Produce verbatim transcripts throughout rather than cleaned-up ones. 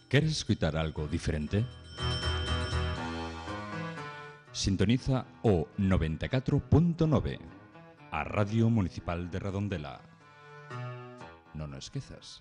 Queres escoitar algo diferente? Sintoniza o noventa e catro punto nove, a Radio Municipal de Redondela. Non o esquezas.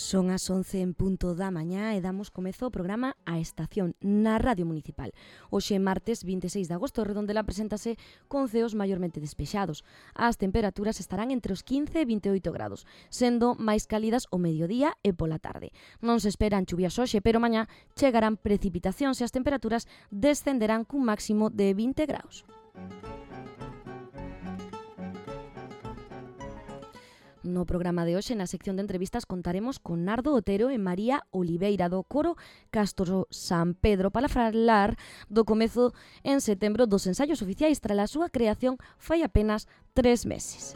Son as once en punto da mañá e damos comezo ao programa A Estación na Radio Municipal. Hoxe, martes vinte e seis de agosto, Redondela preséntase con ceos maiormente despexados. As temperaturas estarán entre os quince e vinte e oito grados, sendo máis cálidas o mediodía e pola tarde. Non se esperan chuvias hoxe, pero mañá chegarán precipitacións e as temperaturas descenderán cun máximo de vinte graus. No programa de hoxe, na sección de entrevistas, contaremos con Nardo Otero e María Oliveira do Coro Castro San Pedro para falar do comezo en setembro dos ensaios oficiais tras a súa creación fai apenas tres meses.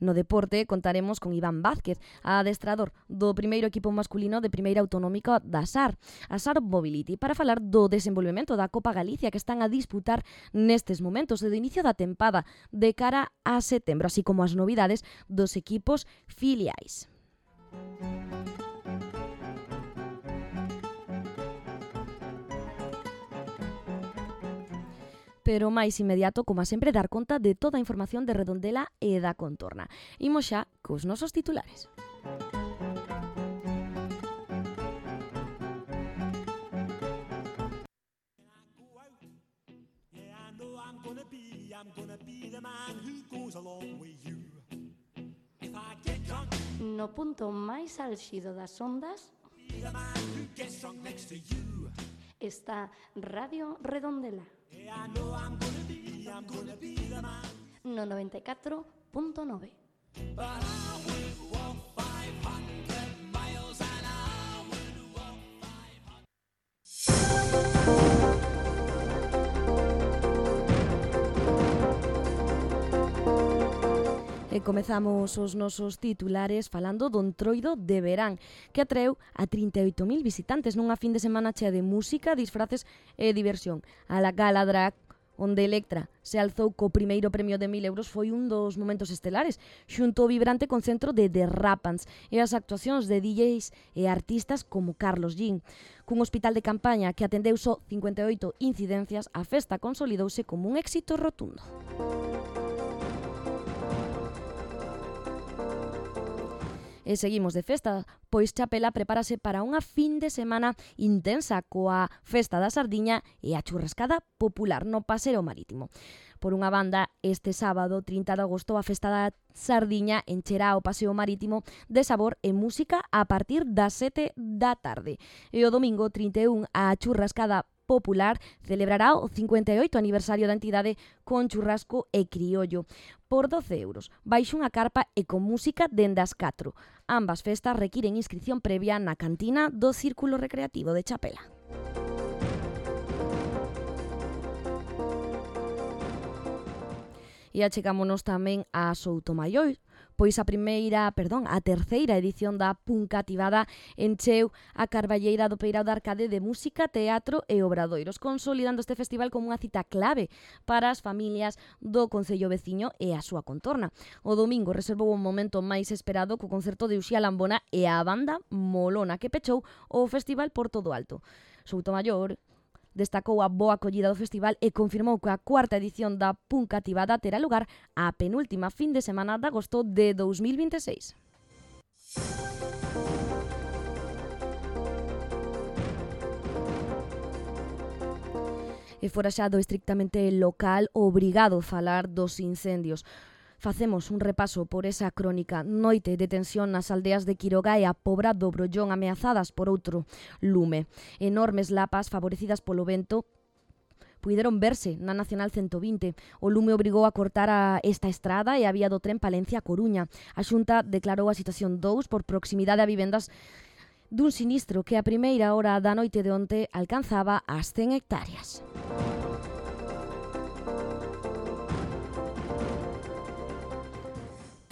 No deporte contaremos con Iván Vázquez, adestrador do primeiro equipo masculino de primeira autonómica da S A R, a S A R Mobility, para falar do desenvolvemento da Copa Galicia que están a disputar nestes momentos do inicio da tempada de cara a setembro, así como as novidades dos equipos filiais. Pero máis inmediato, como sempre, dar conta de toda a información de Redondela e da contorna. Imos xa cos nosos titulares. No punto máis álxido das ondas está Radio Redondela. No noventa e catro punto nove. E comezamos os nosos titulares falando do Entroido de Verán, que atreu a trinta e oito mil visitantes nunha fin de semana chea de música, disfraces e diversión. A la gala drag, onde Electra se alzou co primeiro premio de mil euros, foi un dos momentos estelares, xunto ao vibrante concentro de The Rapans e as actuacións de D Js e artistas como Carlos Jean. Cun hospital de campaña que atendeu só cincuenta e oito incidencias, a festa consolidouse como un éxito rotundo. E seguimos de festa, pois Chapela prepárase para unha fin de semana intensa coa Festa da Sardiña e a churrascada popular no Paseo Marítimo. Por unha banda, este sábado, trinta de agosto, a Festa da Sardiña encherá o Paseo Marítimo de sabor e música a partir das sete da tarde. E o domingo, trinta e un, a churrascada popular celebrará o cincuenta e oito aniversario da entidade con churrasco e criollo por doce euros, baixo unha carpa e con música dende as catro. Ambas festas requiren inscrición previa na cantina do Círculo Recreativo de Chapela. E achegámonos tamén a Soutomaior, pois a primeira, perdón, a terceira edición da Puncativada encheu a carballeira do Peirao de Arcade de música, teatro e obradoiros, consolidando este festival como unha cita clave para as familias do concello veciño e a súa contorna. O domingo reservou un momento máis esperado co concerto de Uxía Lambona e a banda Molona, que pechou o festival por todo alto. Soutomaior destacou a boa acollida do festival e confirmou que a cuarta edición da Puncativada terá lugar a penúltima fin de semana de agosto de dous mil vinte e seis. E fora xa do estrictamente local, obrigado a falar dos incendios. Facemos un repaso por esa crónica noite de tensión nas aldeas de Quiroga e a Pobra do Brollón, ameazadas por outro lume. Enormes lapas favorecidas polo vento puideron verse na Nacional ciento vinte. O lume obrigou a cortar a esta estrada e a vía do tren Palencia a Coruña. A Xunta declarou a situación dous por proximidade a vivendas dun sinistro que a primeira hora da noite de onte alcanzaba as cen hectáreas.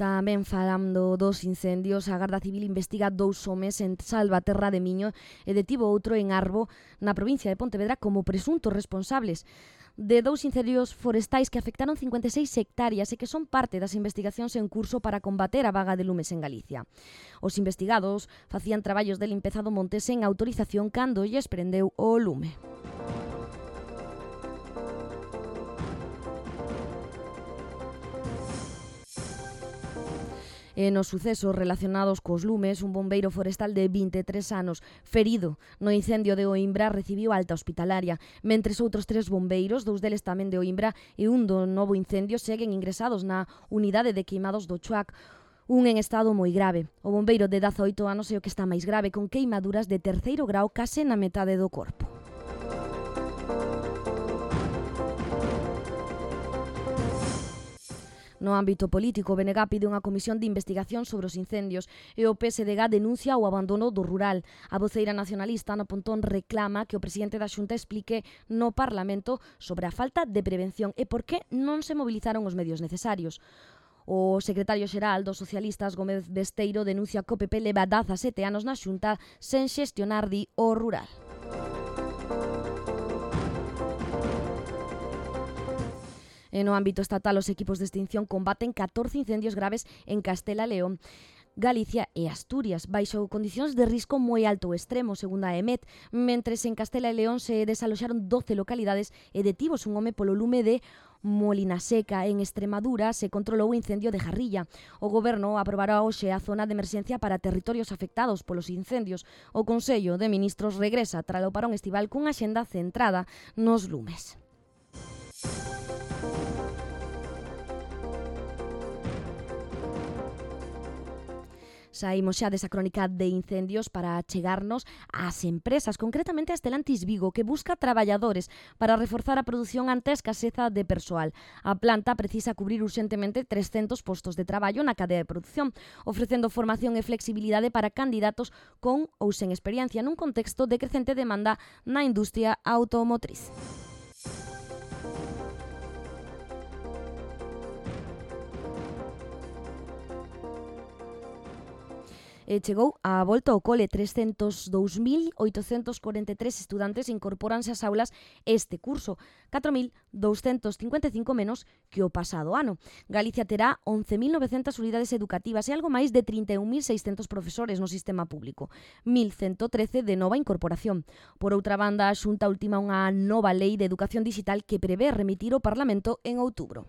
Tamén falando dos incendios, a Garda Civil investiga dous homes en Salvaterra de Miño e detivo outro en Arbo, na provincia de Pontevedra, como presuntos responsables de dous incendios forestais que afectaron cincuenta e seis hectáreas e que son parte das investigacións en curso para combater a vaga de lumes en Galicia. Os investigados facían traballos de limpeza do monte sen autorización cando lles prendeu o lume. E nos sucesos relacionados cos lumes, un bombeiro forestal de vinte e tres anos ferido no incendio de Oimbra recibiu alta hospitalaria, mentres outros tres bombeiros, dous deles tamén de Oimbra e un do novo incendio, seguen ingresados na unidade de queimados do Chuac, un en estado moi grave. O bombeiro de dezaoito anos é o que está máis grave, con queimaduras de terceiro grau case na metade do corpo. No ámbito político, o B N G pide unha comisión de investigación sobre os incendios e o P S D G denuncia o abandono do rural. A voceira nacionalista, Ana Pontón, reclama que o presidente da Xunta explique no Parlamento sobre a falta de prevención e por que non se movilizaron os medios necesarios. O secretario xeral dos socialistas, Gómez Besteiro, denuncia que o P P leva dezasete anos na Xunta sen xestionar, di, o rural. E no ámbito estatal, os equipos de extinción combaten catorce incendios graves en Castela e León, Galicia e Asturias, baixo condicións de risco moi alto extremo, segundo a E M E T, mentres en Castela e León se desaloxaron doce localidades e detivos un home polo lume de Molinaseca. En Extremadura se controlou o incendio de Jarrilla. O Goberno aprobará hoxe a zona de emerxencia para territorios afectados polos incendios. O Consello de Ministros regresa tras o parón estival cunha axenda centrada nos lumes. Saímos xa desa crónica de incendios para chegarnos ás empresas, concretamente a Stellantis Vigo, que busca traballadores para reforzar a produción ante a escaseza de persoal. A planta precisa cubrir urxentemente trescentos postos de traballo na cadea de produción, ofrecendo formación e flexibilidade para candidatos con ou sen experiencia nun contexto de crecente demanda na industria automotriz. E chegou a volta ao cole. trescentos e dous mil oitocentos corenta e tres estudantes incorporanse ás aulas este curso, catro mil douscentos cincuenta e cinco menos que o pasado ano. Galicia terá once mil novecentas unidades educativas e algo máis de trinta e un mil seiscentos profesores no sistema público, mil ciento trece de nova incorporación. Por outra banda, a Xunta ultima unha nova lei de educación digital que prevé remitir ao Parlamento en outubro.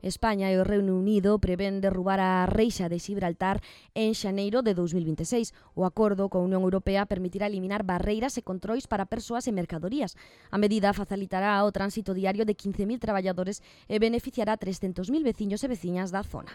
España e o Reino Unido prevén derrubar a reixa de Xibraltar en xaneiro de dous mil vinte e seis. O acordo coa Unión Europea permitirá eliminar barreiras e controis para persoas e mercadorías. A medida facilitará o tránsito diario de quince mil traballadores e beneficiará a trescentos mil veciños e veciñas da zona.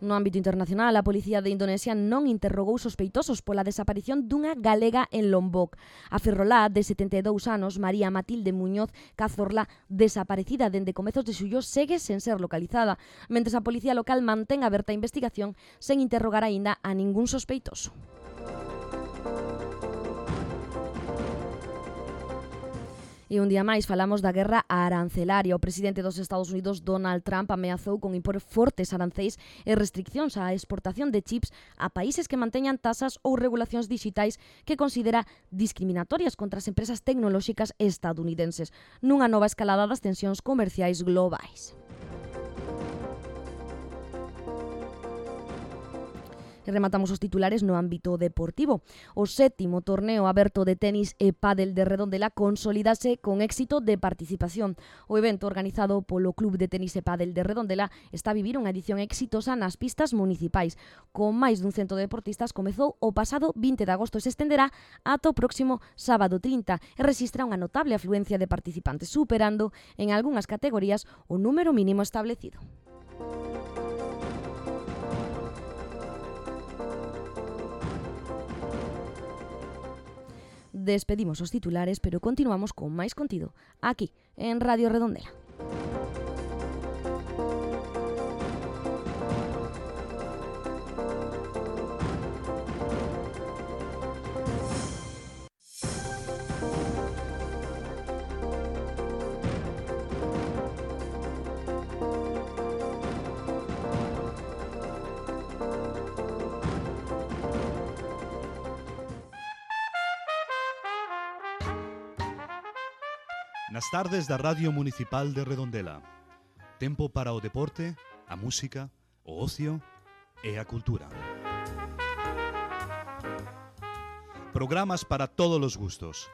No ámbito internacional, a policía de Indonesia non interrogou sospeitosos pola desaparición dunha galega en Lombok. A ferrolá de setenta e dous anos, María Matilde Muñoz Cazorla, desaparecida dende comezos de xullo, segue sen ser localizada, mentres a policía local mantén aberta a investigación sen interrogar aínda a ningún sospeitoso. E un día máis falamos da guerra arancelaria. O presidente dos Estados Unidos, Donald Trump, ameazou con impor fortes aranceis e restriccións á exportación de chips a países que manteñan tasas ou regulacións digitais que considera discriminatorias contra as empresas tecnolóxicas estadounidenses, nunha nova escalada das tensións comerciais globais. E rematamos os titulares no ámbito deportivo. O sétimo torneo aberto de tenis e pádel de Redondela consolidase con éxito de participación. O evento organizado polo Club de Tenis e Pádel de Redondela está a vivir unha edición exitosa nas pistas municipais. Con máis dun cento de deportistas, comezou o pasado vinte de agosto e se estenderá ata o próximo sábado trinta e rexistra unha notable afluencia de participantes, superando en algunhas categorías o número mínimo establecido. Despedimos os titulares, pero continuamos con máis contido aquí, en Radio Redondela. Nas tardes da Radio Municipal de Redondela. Tempo para o deporte, a música, o ocio e a cultura. Programas para todos os gustos.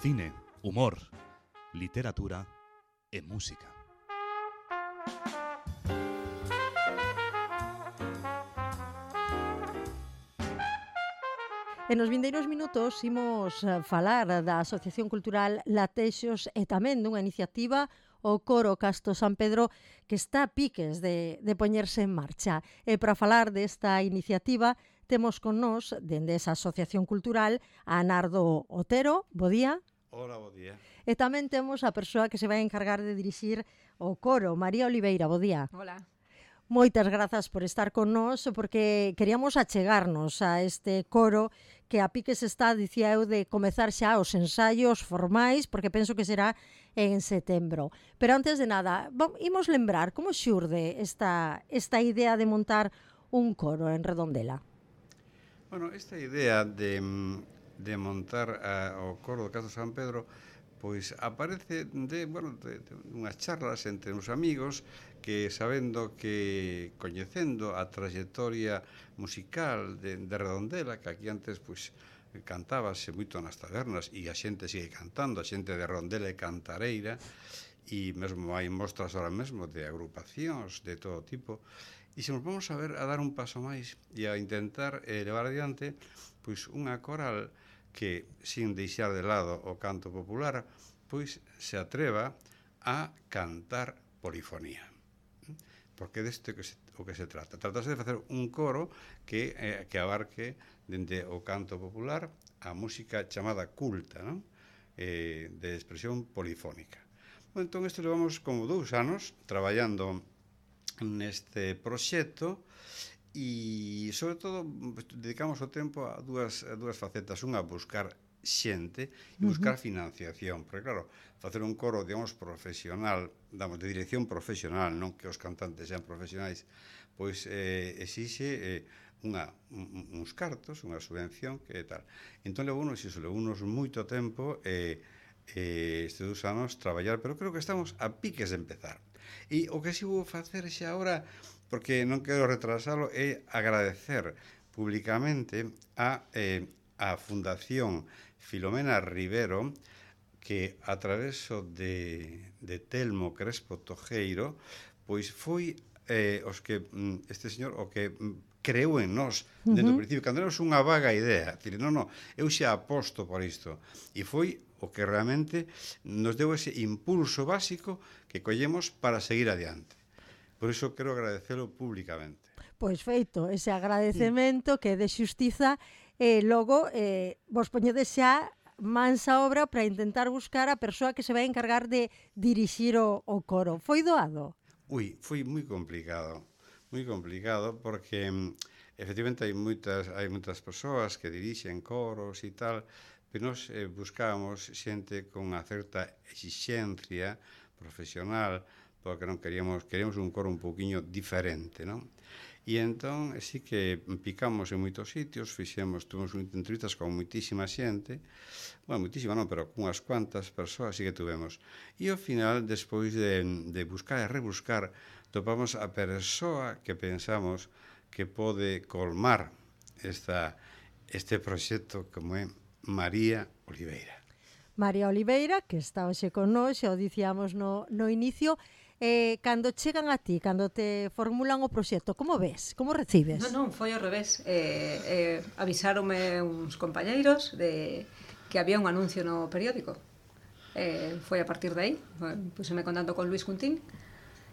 Cine, humor, literatura e música. E nos vindeiros minutos imos falar da Asociación Cultural Latexos e tamén dunha iniciativa, o Coro Casto San Pedro, que está a piques de, de poñerse en marcha. E para falar desta iniciativa temos con nós, dende esa Asociación Cultural, a Nardo Otero. Bo día. Hola, bo día. E tamén temos a persoa que se vai encargar de dirixir o coro, María Oliveira. Bo día. Hola. Moitas grazas por estar con nós, porque queríamos achegarnos a este coro que a piques está, dicía eu, de comezar xa os ensaios formais, porque penso que será en setembro. Pero antes de nada, vamos, imos lembrar como xurde esta, esta idea de montar un coro en Redondela. Bueno, esta idea de, de montar uh, o coro do Casto San Pedro pois aparece de, bueno, de, de unhas charlas entre uns amigos que, sabendo que, coñecendo a trayectoria musical de, de Redondela, que aquí antes pois cantábase moito nas tabernas e a xente sigue cantando, a xente de Redondela e cantareira, e mesmo hai mostras ahora mesmo de agrupacións de todo tipo, e se nos vamos a ver a dar un paso máis e a intentar eh, levar adiante pois unha coral que, sin deixar de lado o canto popular, pois se atreva a cantar polifonía. Porque deste que se, o que se trata. Tratase de facer un coro que, eh, que abarque dende o canto popular a música chamada culta, non? Eh, de expresión polifónica. Bueno, entón, isto levamos como dous anos traballando neste proxecto, e, sobre todo, dedicamos o tempo a dúas, a dúas facetas. Unha, a buscar xente e buscar uh -huh. financiación. Porque, claro, facer un coro, digamos, profesional, damos, de dirección profesional, non que os cantantes sean profesionais, pois eh, exixe eh, unha, un, uns cartos, unha subvención, que tal. Entón, levounos iso, levounos moito tempo e eh, estes dous anos traballar, pero creo que estamos a piques de empezar. E o que si vou facer xa agora, porque non quero retrasalo, é agradecer públicamente a, eh, a Fundación Filomena Rivero, que a traveso de, de Telmo Crespo Tojeiro, pois foi eh, os que este señor o que creou en nós dentro do principio, cando éramos unha vaga idea, dicir, non, non, eu xa aposto por isto, e foi o que realmente nos deu ese impulso básico que collemos para seguir adiante. Por iso quero agradecelo públicamente. Pois feito, ese agradecemento que é de xustiza, e logo eh, vos poñedes xa mans a obra para intentar buscar a persoa que se vai encargar de dirixir o, o coro. Foi doado? Ui, foi moi complicado, moi complicado, porque efectivamente hai moitas, hai moitas persoas que dirixen coros e tal, pero nós eh, buscábamos xente con unha certa exixencia profesional, porque non queríamos, queríamos un coro un pouquiño diferente, non? E entón, sí que picamos en moitos sitios, fixemos, tuvemos entrevistas con moitísima xente, bueno, moitísima non, pero con unhas cuantas persoas sí que tuvemos. E ao final, despois de, de buscar e rebuscar, topamos a persoa que pensamos que pode colmar esta, este proxecto como é María Oliveira. María Oliveira, que está hoxe con nós, xa o dicíamos no, no inicio. Eh, cando chegan a ti, cando te formulan o proxecto, como ves? Como recibes? Non, non, foi ao revés. Eh, eh, avisáronme uns compañeiros de que había un anuncio no periódico. Eh, foi a partir de aí, puseme contando con Luis Cuntín,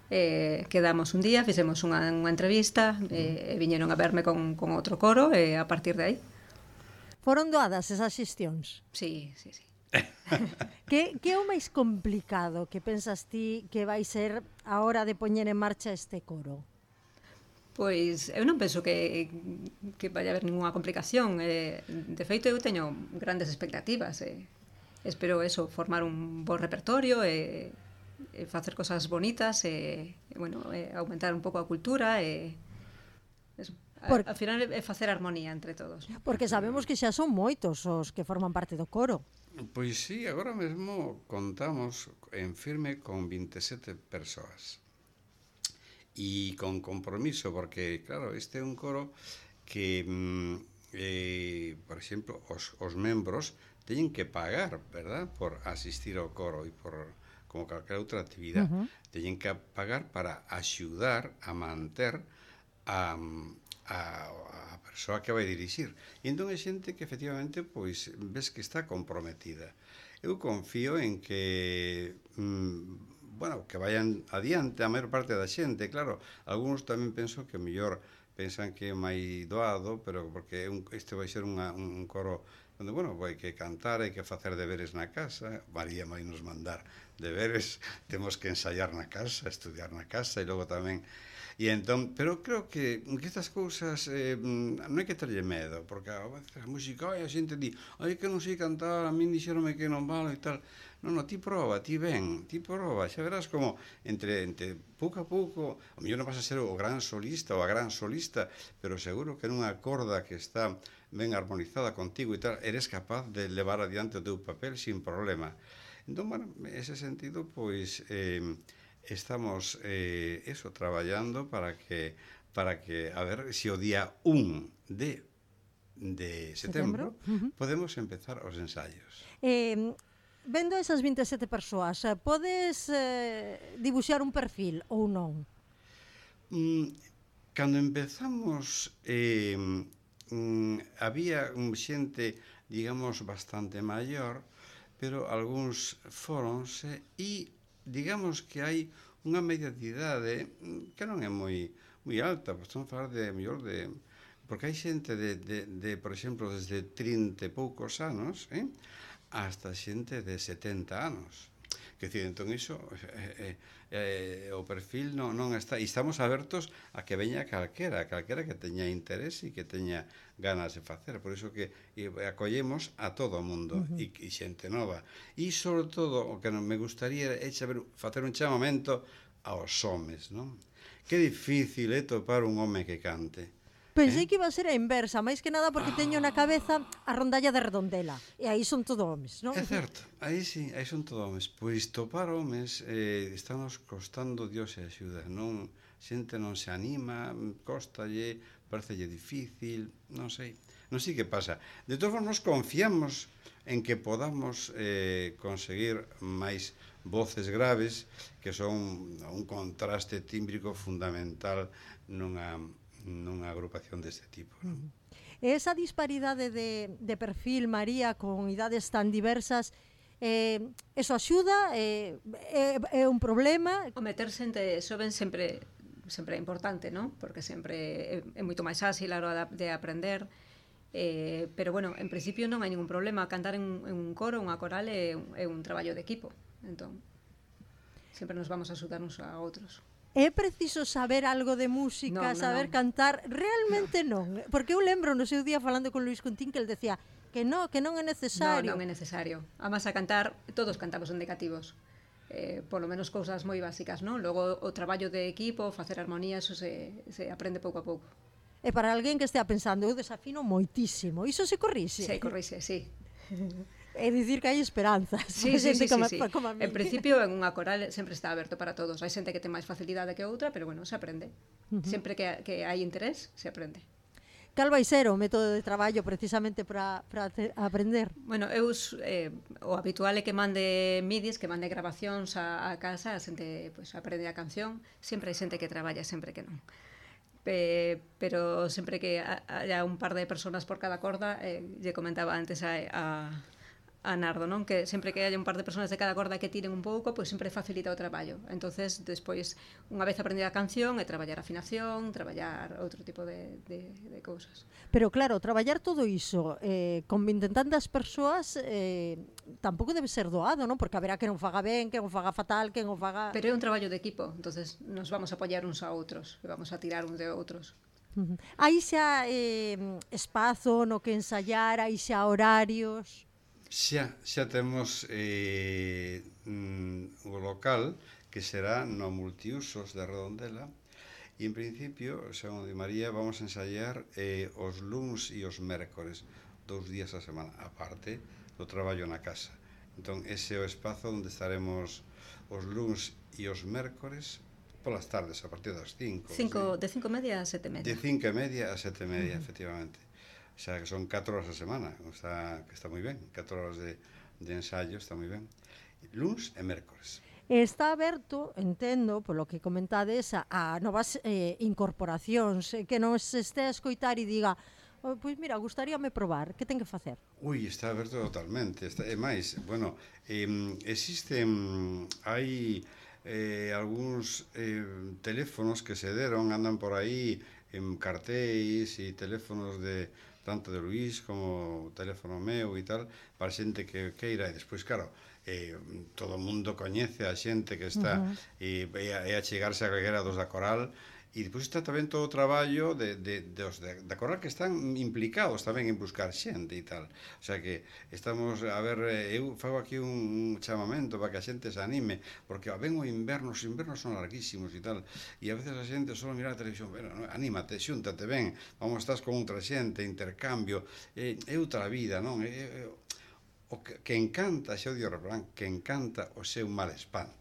eh, quedamos un día, fixemos unha, unha entrevista, eh, e viñeron a verme con, con outro coro, e eh, a partir de aí. Foron doadas esas xestións? Sí, sí, sí. que, que é o máis complicado que pensas ti que vai ser a hora de poñer en marcha este coro? Pois eu non penso que, que vai haber ninguna complicación. Eh, de feito, eu teño grandes expectativas. Eh. Espero eso, formar un bo repertorio, e, e facer cosas bonitas, e, e bueno, e aumentar un pouco a cultura, e eso. Por... Al final é facer armonía entre todos. Porque sabemos que xa son moitos os que forman parte do coro. Pois sí, agora mesmo contamos en firme con vinte e sete persoas. E con compromiso, porque, claro, este é un coro que, mm, eh, por exemplo, os, os membros teñen que pagar, verdad?, por asistir ao coro e por, como calquera outra actividade, uh -huh. teñen que pagar para axudar a manter a, a, a persoa que vai dirixir. E entón é xente que efectivamente pois ves que está comprometida. Eu confío en que mm, bueno, que vayan adiante a maior parte da xente, claro. Algúns tamén penso que mellor pensan que é máis doado, pero porque un, este vai ser unha, un coro onde, bueno, vai que cantar, hai que facer deberes na casa. María vai nos mandar deberes, temos que ensaiar na casa, estudiar na casa, e logo tamén. E entón, pero creo que, que estas cousas eh, non hai que terlle medo, porque a veces a música, ai, a xente di, ai, que non sei cantar, a min dixeronme que non valo e tal. Non, non, ti prova, ti ven, ti prova, xa verás como entre, entre pouco a pouco, o mellor non vas a ser o gran solista ou a gran solista, pero seguro que nunha corda que está ben armonizada contigo e tal, eres capaz de levar adiante o teu papel sin problema. Entón, bueno, ese sentido, pois, eh, estamos, eh, eso, traballando para que, para que, a ver, se o día un de, de setembro, setembro? Uh -huh. podemos empezar os ensaios. Eh... Vendo esas vinte e sete persoas, podes eh, dibuixar un perfil ou non? Mm, cando empezamos, eh, mm, había xente, digamos, bastante maior, pero algúns foronse e, digamos, que hai unha media de idade que non é moi moi alta, pues, estamos a falar de, mellor, de... Porque hai xente de, de, de, por exemplo, desde trinta e poucos anos, eh? hasta xente de setenta anos. Que decir, entón iso eh, eh, o perfil non, non está, e estamos abertos a que veña calquera, calquera que teña interés e que teña ganas de facer, por iso que e, acollemos a todo o mundo, uh -huh. e, e xente nova. E sobre todo o que non me gustaría é saber, facer un chamamento aos homes, non? Que difícil é topar un home que cante. Pensei eh? que iba a ser a inversa, máis que nada porque ah. teño na cabeza a rondalla de Redondela, e aí son todo homes, non? É certo, aí sí, aí son todo homes. Pois topar homes eh, estamos costando Dios e axuda, non? Xente non se anima, costalle, parecelle difícil, non sei, non sei que pasa. De todos modos, confiamos en que podamos eh, conseguir máis voces graves, que son un contraste tímbrico fundamental nunha nunha agrupación deste tipo, non? Esa disparidade de, de perfil, María, con idades tan diversas, eh, eso axuda? Eh, é, é un problema? O meter xente xoven sempre sempre é importante, non? Porque sempre é, é moito máis áxil a hora de aprender, eh, pero, bueno, en principio non hai ningún problema. Cantar en, en un coro, unha coral, é un, é un traballo de equipo, entón sempre nos vamos a axudar uns a outros. É preciso saber algo de música, no, no, saber no. cantar? Realmente no. non. Porque eu lembro no seu día falando con Luis Contín que el decía que no, que non é necesario. Non, non é necesario. Además, a cantar, todos cantamos indicativos. Eh, polo menos cousas moi básicas, non? Logo, o traballo de equipo, facer armonía, eso se, se aprende pouco a pouco. E para alguén que estea pensando, eu desafino moitísimo, iso se corrixe? Se corrixe, sí. É dicir que hai esperanzas. Sí, sí, sí, como, sí, sí. Como a mí. En principio, en unha coral sempre está aberto para todos. Hai xente que ten máis facilidade que outra, pero, bueno, se aprende. Uh -huh. Sempre que, que hai interés, se aprende. Cal vai ser o método de traballo precisamente para, para aprender? Bueno, eu, eh, o habitual é que mande midis, que mande grabacións a, a casa, a xente pues, aprende a canción. Sempre hai xente que traballa, sempre que non. Pe, pero sempre que haya un par de personas por cada corda, eh, lle comentaba antes a... a a Nardo, non? Que sempre que haya un par de personas de cada corda que tiren un pouco, pois sempre facilita o traballo. Entonces, despois, unha vez aprendida a canción, é traballar afinación, traballar outro tipo de, de, de cousas. Pero claro, traballar todo iso eh, con vinte tantas persoas eh, tampouco debe ser doado, non? Porque haberá que non faga ben, que non faga fatal, que non faga... Pero é un traballo de equipo, entonces nos vamos a apoiar uns a outros, e vamos a tirar uns de outros. Uh -huh. Hai xa eh, espazo no que ensayar, hai xa horarios... Xa, xa temos eh, mm, o local que será no multiusos de Redondela e en principio, según de María, vamos a ensayar eh, os luns e os mércores, dous días a semana. Aparte, do traballo na casa. Entón, ese é o espazo onde estaremos os luns e os mércores polas tardes, a partir das cinco. cinco de cinco e media a sete e media. De cinco e media a sete e media, uh-huh. efectivamente. O sea, que son catro horas a semana, o sea, que está moi ben, catro horas de, de ensayo, está moi ben. Luns e mércores. Está aberto, entendo, polo que comentades, a, a novas eh, incorporacións, eh, que non se este a escoitar e diga, oh, pois mira, gustaríame probar, que ten que facer? Ui, está aberto totalmente, está, é máis, bueno, eh, existen, hai eh, algúns eh, teléfonos que se deron, andan por aí en cartéis e teléfonos de tanto de Luís como o teléfono meu e tal, para xente que queira, e despois, claro, eh, todo o mundo coñece a xente que está uh-huh. e, e, a, e a chegarse a calquera dos da Coral, e depois está tamén todo o traballo de, de, de os de, da Coral que están implicados tamén en buscar xente e tal, o sea que estamos, a ver, eu fago aquí un, un chamamento para que a xente se anime, porque ven o inverno, os invernos son larguísimos e tal, e a veces a xente só mira a televisión, bueno, no, anímate, xúntate, ven, vamos, estás con outra xente, intercambio, é, é outra vida, non? É, é, o que, que encanta, xa o dio refrán, que encanta o seu mal espanta.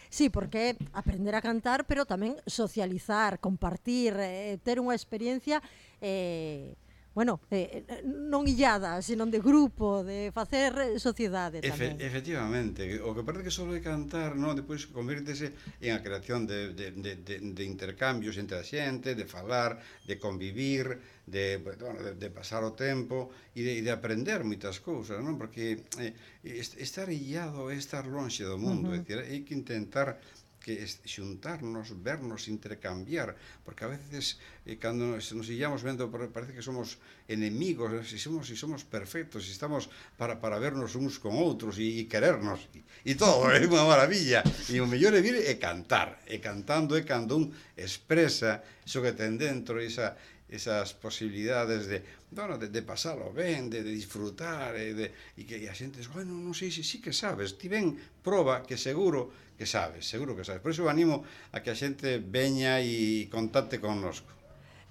Sí, porque aprender a cantar, pero tamén socializar, compartir, eh, ter unha experiencia eh, bueno, eh, non illada, senón de grupo, de facer sociedade tamén. Efe, efectivamente, o que parece que só é cantar, non, depois convírtese en a creación de, de, de, de, de intercambios entre a xente, de falar, de convivir, de, bueno, de, de pasar o tempo e de, de aprender moitas cousas, non? Porque eh, estar illado é estar lonxe do mundo, uh-huh. é dicir, hai que intentar que xuntarnos, vernos, intercambiar, porque a veces eh, cando nos, nos illamos vendo parece que somos enemigos, se somos, si somos perfectos, si estamos para, para vernos uns con outros e, e querernos e, e todo, é unha maravilla, e o mellor é vir e cantar, e cantando é cando un expresa iso que ten dentro, esa esas posibilidades de, bueno, de, de pasalo ben, de, de disfrutar e, de, e que e a xente dice, bueno, non sei se sí, sí que sabes, ti ven, proba que seguro que sabes, seguro que sabes. Por iso animo a que a xente veña e contacte connosco.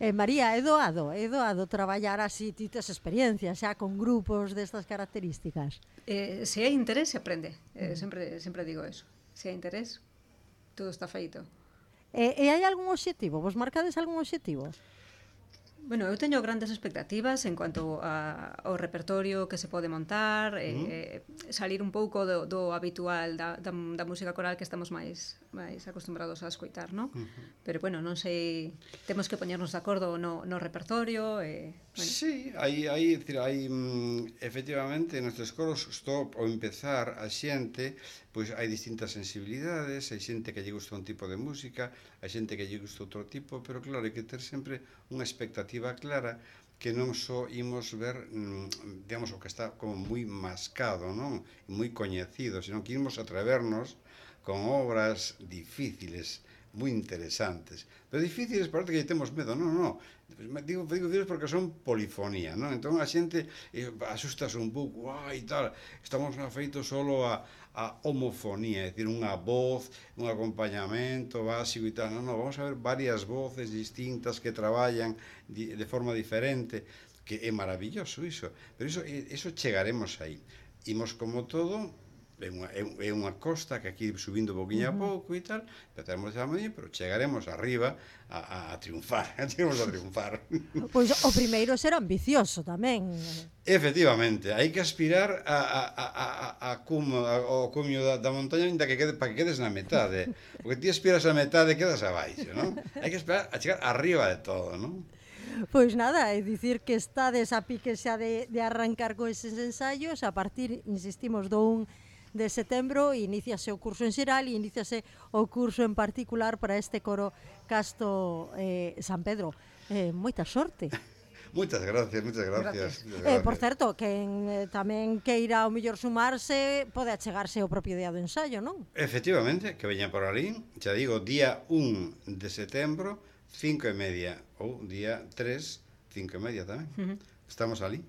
Eh, María, é doado, é doado traballar así, ti tes experiencias xa con grupos destas características? Eh, se hai interés, se aprende. Eh, sempre, sempre digo eso. Se hai interés, todo está feito. E, e hai algún obxectivo? Vos marcades algún obxectivo? Bueno, eu teño grandes expectativas en cuanto a, ao repertorio que se pode montar, uh-huh. eh, salir un pouco do, do habitual da, da, da música coral que estamos máis máis acostumbrados a escoitar, non? Uh-huh. Pero, bueno, non sei, temos que poñernos de acordo no, no repertorio. Eh, bueno. Sí, hai, hai, decir, hai mm, efectivamente, nestes coros, estou ao empezar a xente, pois hai distintas sensibilidades, hai xente que lle gusta un tipo de música, hai xente que lle gusta outro tipo, pero claro, hai que ter sempre unha expectativa clara que non só imos ver, digamos, o que está como moi mascado, non? Moi coñecido, senón que imos atrevernos con obras difíciles, moi interesantes. Pero difíciles parece que temos medo, non, non. Digo, digo difíciles porque son polifonía, non? Entón a xente eh, asustas un pouco, ai, tal, estamos feitos solo a, a homofonía, é dicir, unha voz, un acompañamento básico e tal. Non, non, vamos a ver varias voces distintas que traballan de, de forma diferente, que é maravilloso iso. Pero iso, iso chegaremos aí. Imos como todo, é unha, é unha costa que aquí subindo poquinho a pouco e tal, empezaremos a medir, pero chegaremos arriba a, a, a triunfar, chegaremos a triunfar. Pois o primeiro ser ambicioso tamén. Efectivamente, hai que aspirar a, a, a, a, a cumo, a, ao cumio da, da montaña ainda que quede, para que quedes na metade, porque ti aspiras a metade e quedas abaixo, non? Hai que esperar a chegar arriba de todo, non? Pois nada, é dicir que estades a pique xa de, de arrancar con eses ensaios, a partir, insistimos, do un de setembro iníciase o curso en xeral e iníciase o curso en particular para este coro Casto eh, San Pedro. Eh, moita sorte. Moitas gracias, moitas gracias. gracias. Eh, por certo, quen eh, tamén queira ao mellor sumarse, pode achegarse o propio día do ensayo, non? Efectivamente, que veña por ali, xa digo, día un de setembro, cinco e media, ou día tres, cinco e media tamén. Uh-huh. Estamos ali.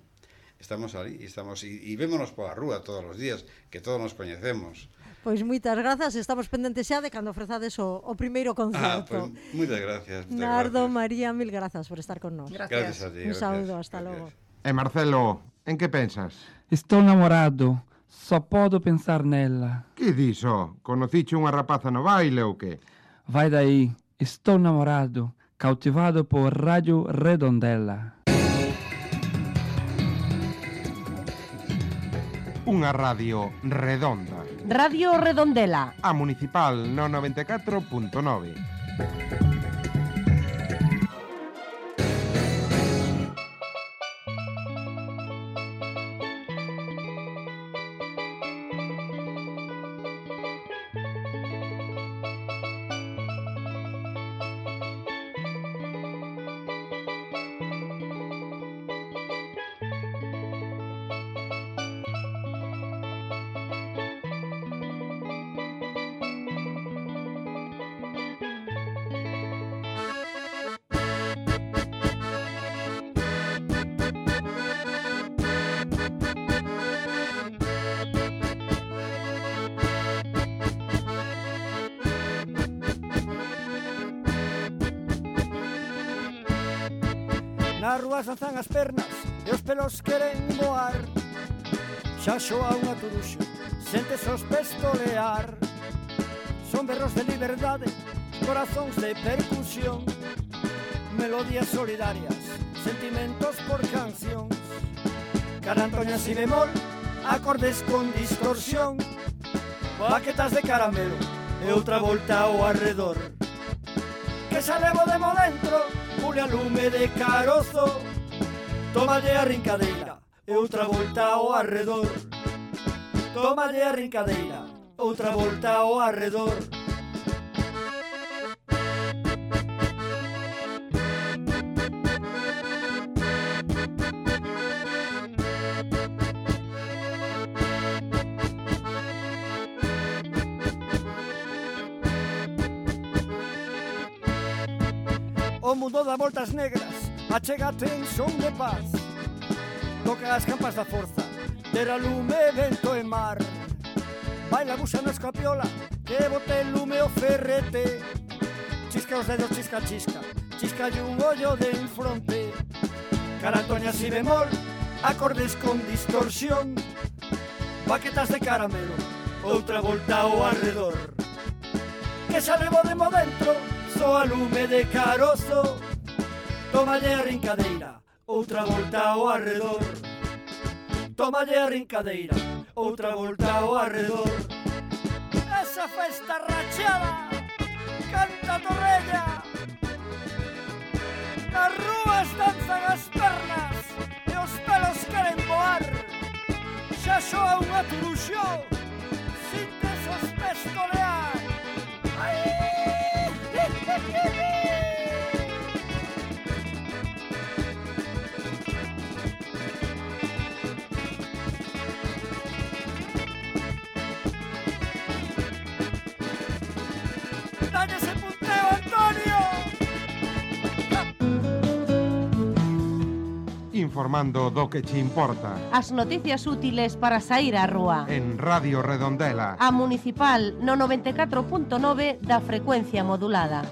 Estamos ali e estamos e, e vémonos pola rúa todos os días, que todos nos coñecemos. Pois moitas grazas, estamos pendentes xa de cando ofrezades o, o primeiro concerto. Ah, pois, moitas gracias. Moitas Nardo, gracias. María, mil grazas por estar con nós. Gracias. Gracias a ti. Un gracias, saúdo, hasta gracias. logo. E Marcelo, En que pensas? Estou namorado. Só podo pensar nela. Que diso? Conociche unha rapaza no baile ou que? Vai daí. Estou namorado. Cautivado por Radio Redondela. Unha radio redonda. Radio Redondela. A Municipal no noventa e catro punto nove. Nas rúas danzan as pernas e os pelos queren voar. Xa xoa unha turuxa, sentes os pés tolear. Son berros de liberdade, corazóns de percusión, melodías solidarias, sentimentos por cancións. Carantoña si bemol, acordes con distorsión, baquetas de caramelo e outra volta ao arredor. Que xa levo de mo dentro, pule a lume de carozo, tómalle a rincadeira e outra volta ao arredor. Tómalle a rincadeira, outra volta ao arredor. O mundo dá voltas negras, achégate en son de paz. Toca as campas da forza, terra, lume, vento e mar. Baila buxa no escapiola, que bote lume o ferrete. Chisca os dedos, chisca, chisca, chisca e un ollo de en fronte. Carantoña si bemol, acordes con distorsión, baquetas de caramelo, outra volta ao arredor. Que xa levo de mo dentro, soa lume de carozo, tómalle a rincadeira, outra volta ao arredor. Tómalle a rincadeira, outra volta ao arredor. Esa festa rachada, canta Torrella. Nas rúas danzan as pernas e os pelos queren voar. Xa xoa unha turuxo, sintes os pés tolear. Dalle ese punteo, Antonio. Informando do que che importa. As noticias útiles para saír á rúa. En Radio Redondela. A Municipal no noventa e catro punto nove da frecuencia modulada.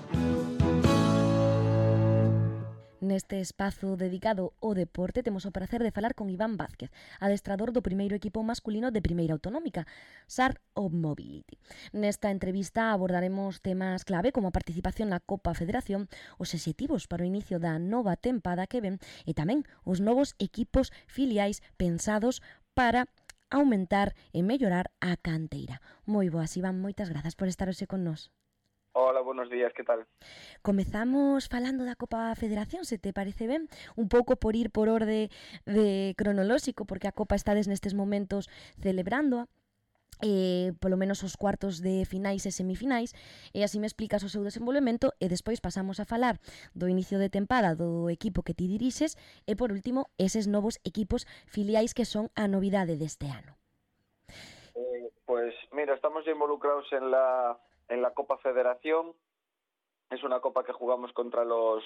Neste espazo dedicado ao deporte temos o prazer de falar con Iván Vázquez, adestrador do primeiro equipo masculino de Primeira Autonómica, S A R of Mobility. Nesta entrevista abordaremos temas clave como a participación na Copa Federación, os obxectivos para o inicio da nova tempada que ven e tamén os novos equipos filiais pensados para aumentar e mellorar a canteira. Moi boas, Iván, moitas grazas por estar hoxe con nós. Hola, buenos días, que tal? Comezamos falando da Copa Federación, se te parece ben? Un pouco por ir por orde de cronolóxico, porque a Copa estades nestes momentos celebrándoa, eh, polo menos os cuartos de finais e semifinais, e así me explicas o seu desenvolvemento e despois pasamos a falar do inicio de tempada do equipo que ti dirixes e, por último, eses novos equipos filiais que son a novidade deste ano. Eh, pues mira, estamos involucrados en la... en la Copa Federación. Es una copa que jugamos contra los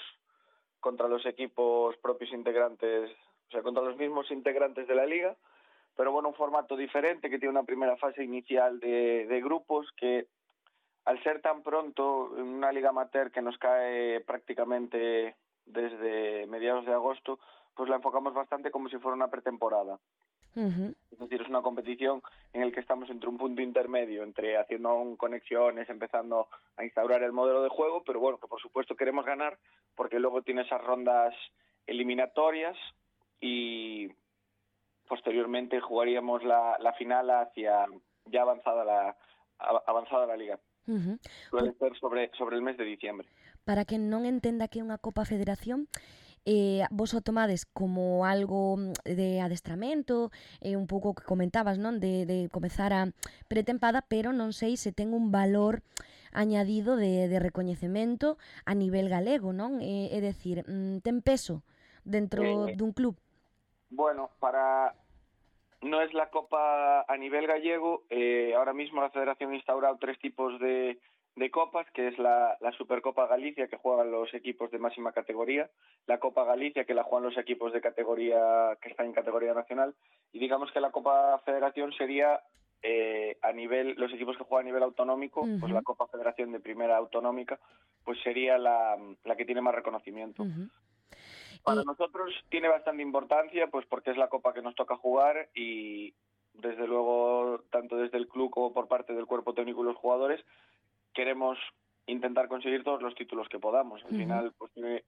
contra los equipos propios integrantes, o sea, contra los mismos integrantes de la liga, pero bueno, un formato diferente que tiene una primera fase inicial de, de grupos que, al ser tan pronto, en una liga amateur que nos cae prácticamente desde mediados de agosto, pues la enfocamos bastante como si fuera una pretemporada. Uh-huh. Es decir, es una competición en la que estamos entre un punto intermedio, entre haciendo aún conexiones, empezando a instaurar el modelo de juego, pero bueno, que por supuesto queremos ganar, porque luego tiene esas rondas eliminatorias y posteriormente jugaríamos la, la final hacia ya avanzada la, avanzada la liga. Uh-huh. Suele ser sobre, sobre el mes de diciembre. Para que non entenda que é unha Copa Federación, eh, vos o tomades como algo de adestramento, eh, un pouco que comentabas, non, de, de comezar a pretempada, pero non sei se ten un valor añadido de, de recoñecemento a nivel galego, non? Eh, é dicir, ten peso dentro eh, dun club? Bueno, para... no es la Copa a nivel gallego, eh, ahora mismo la Federación ha instaurado tres tipos de... de copas, que es la, la Supercopa Galicia, que juegan los equipos de máxima categoría, la Copa Galicia, que la juegan los equipos de categoría que están en categoría nacional, y digamos que la Copa Federación sería eh, a nivel, los equipos que juegan a nivel autonómico, uh-huh. pues la Copa Federación de primera autonómica, pues sería la, la que tiene más reconocimiento. Uh-huh. Para y... nosotros tiene bastante importancia, pues porque es la copa que nos toca jugar y desde luego, tanto desde el club como por parte del cuerpo técnico y los jugadores, queremos intentar conseguir todos los títulos que podamos. Al uh-huh. final, pues tiene,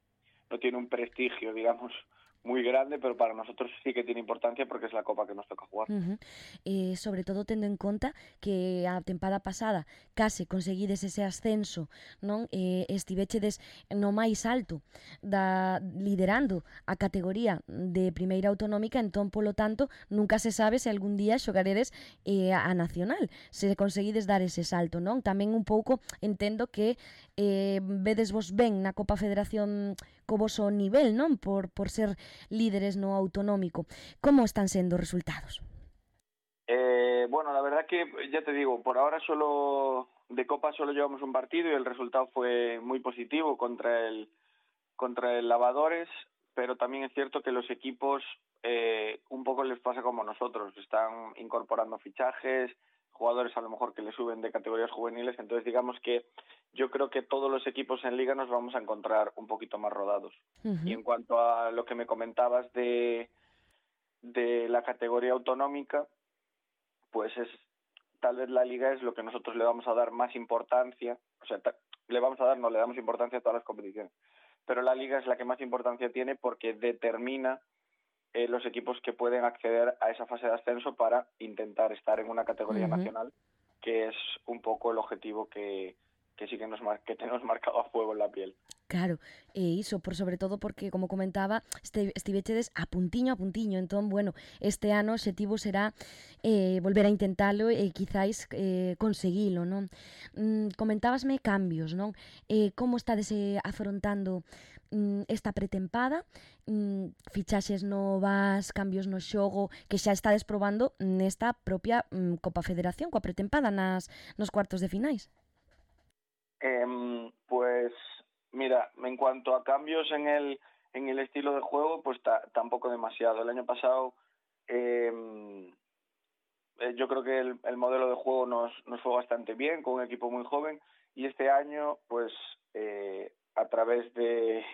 no tiene un prestigio, digamos, muy grande, pero para nosotros sí que tiene importancia porque es la copa que nos toca jugar. Uh-huh. eh, sobre todo tendo en conta que a tempada pasada case conseguides ese ascenso, non? Eh, estivechedes no máis alto da, liderando a categoría de primeira autonómica, entón, polo tanto, nunca se sabe se algún día xogaredes eh, a nacional, se conseguides dar ese salto, non? Tamén un pouco entendo que eh, vedes vos ben na Copa Federación co voso nivel, non? Por, por ser líderes no autonómico. ¿Cómo están sendo os resultados? Eh, bueno, la verdad que, ya te digo, por ahora solo de Copa solo llevamos un partido y el resultado fue muy positivo contra el, contra el Lavadores, pero también es cierto que los equipos eh, un poco les pasa como nosotros, están incorporando fichajes, jugadores a lo mejor que le suben de categorías juveniles, entonces digamos que yo creo que todos los equipos en Liga nos vamos a encontrar un poquito más rodados. Uh-huh. Y en cuanto a lo que me comentabas de, de la categoría autonómica, pues es tal vez la Liga es lo que nosotros le vamos a dar más importancia, o sea, le vamos a dar, no le damos importancia a todas las competiciones, pero la Liga es la que más importancia tiene porque determina eh, los equipos que pueden acceder a esa fase de ascenso para intentar estar en una categoría uh-huh. nacional, que es un poco el objetivo que... que sí que, nos mar- que tenemos marcado a fuego en la piel. Claro, e iso, por sobre todo porque, como comentaba, este, estivechedes a puntiño a puntiño, entón, bueno, este ano o objetivo será eh, volver a intentalo e quizáis eh, conseguilo, non? Mm, comentábasme cambios, non? Eh, como estades eh, afrontando mm, esta pretempada, mm, fichaxes novas, cambios no xogo, que xa estades probando nesta propia mm, Copa Federación, coa pretempada nas, nos cuartos de finais? Eh, pues mira, en cuanto a cambios en el en el estilo de juego, pues ta, tampoco demasiado. El año pasado eh, eh, yo creo que el, el modelo de juego nos, nos fue bastante bien, con un equipo muy joven, y este año, pues eh, a través de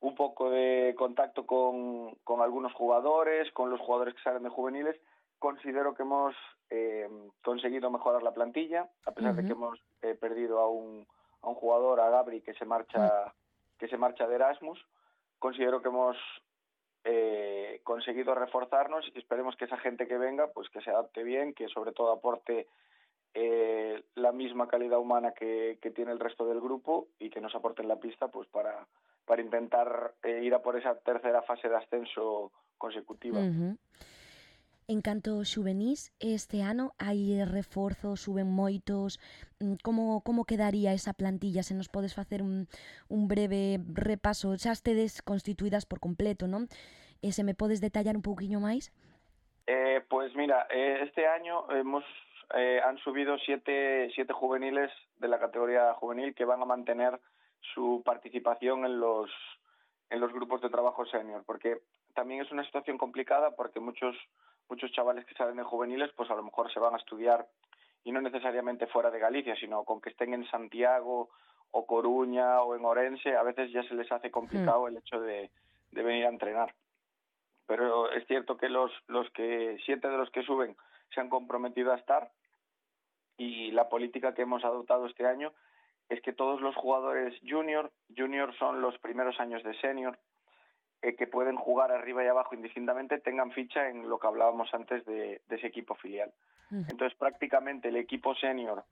un poco de contacto con, con algunos jugadores, con los jugadores que salen de juveniles, considero que hemos eh, conseguido mejorar la plantilla, a pesar uh-huh. de que hemos eh, perdido a un, a un jugador, a Gabri, que se marcha uh-huh. que se marcha de Erasmus. Considero que hemos eh, conseguido reforzarnos y esperemos que esa gente que venga, pues que se adapte bien, que sobre todo aporte eh, la misma calidad humana que, que tiene el resto del grupo y que nos aporte en la pista, pues para, para intentar eh, ir a por esa tercera fase de ascenso consecutiva. Uh-huh. En canto xuvenís, este ano hai reforzos, suben moitos, como, como quedaría esa plantilla? Se nos podes facer un, un breve repaso, xa estedes constituídas por completo, non? E se me podes detallar un pouquiño máis? Eh, pues mira, eh, este año hemos eh, han subido siete, siete juveniles de la categoría juvenil que van a mantener su participación en los, en los grupos de trabajo senior, porque también es una situación complicada porque muchos muchos chavales que salen de juveniles pues a lo mejor se van a estudiar y no necesariamente fuera de Galicia, sino con que estén en Santiago o Coruña o en Orense, a veces ya se les hace complicado el hecho de, de venir a entrenar. pero es cierto que los, los que siete de los que suben se han comprometido a estar, y la política que hemos adoptado este año es que todos los jugadores junior, junior son los primeros años de senior, eh, que pueden jugar arriba y abajo indistintamente, tengan ficha en lo que hablábamos antes de, de ese equipo filial. Uh-huh. Entonces prácticamente el equipo senior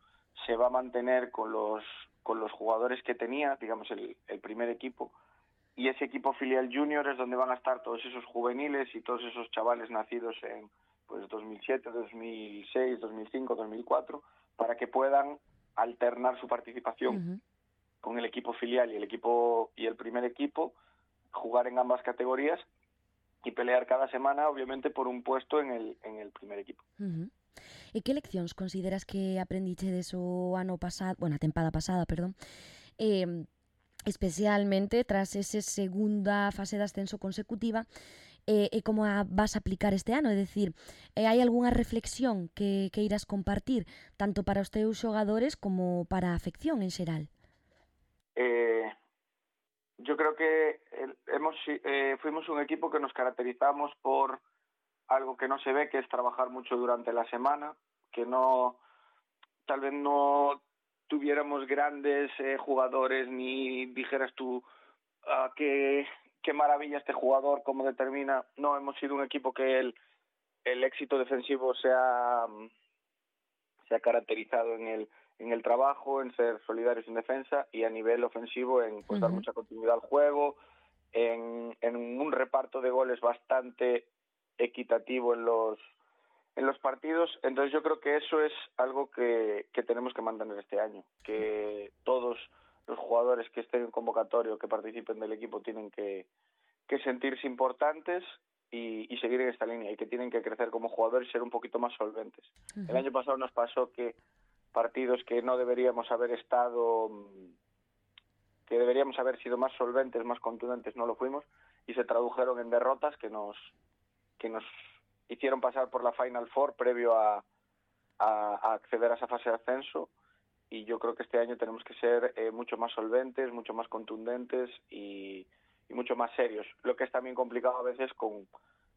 se va a mantener con los, con los jugadores que tenía, digamos el, el primer equipo, y ese equipo filial junior es donde van a estar todos esos juveniles y todos esos chavales nacidos en pues dos mil siete, dos mil seis, dos mil cinco, dos mil cuatro, para que puedan alternar su participación uh-huh. con el equipo filial y el equipo y el primer equipo, jugar en ambas categorías y pelear cada semana, obviamente, por un puesto en el en el primer equipo. Uh-huh. E que leccións consideras que aprendichedes o ano pasado, bueno, a tempada pasada, perdón, eh, especialmente tras esa segunda fase de ascenso consecutiva, e, e como a vas a aplicar este ano? É dicir, eh, hai algunha reflexión que, que irás compartir tanto para os teus xogadores como para a afección en xeral? Eh, yo creo que hemos eh, fuimos un equipo que nos caracterizamos por algo que no se ve, que es trabajar mucho durante la semana, que no, tal vez no tuviéramos grandes eh, jugadores, ni dijeras tú uh, que qué maravilla este jugador, cómo determina. No, hemos sido un equipo que el, el éxito defensivo se ha, se ha caracterizado en el, en el trabajo, en ser solidarios en defensa, y a nivel ofensivo en pues, uh-huh. dar mucha continuidad al juego, en, en un reparto de goles bastante equitativo en los en los partidos. Entonces yo creo que eso es algo que, que tenemos que mantener este año, que todos los jugadores que estén en convocatorio, que participen del equipo, tienen que, que sentirse importantes y, y seguir en esta línea, y que tienen que crecer como jugadores y ser un poquito más solventes. Uh-huh. El año pasado nos pasó que partidos que no deberíamos haber estado, que deberíamos haber sido más solventes, más contundentes, no lo fuimos, y se tradujeron en derrotas que nos que nos hicieron pasar por la Final Four previo a, a, a acceder a esa fase de ascenso. Y yo creo que este año tenemos que ser eh, mucho más solventes, mucho más contundentes y, y mucho más serios. Lo que es también complicado a veces con,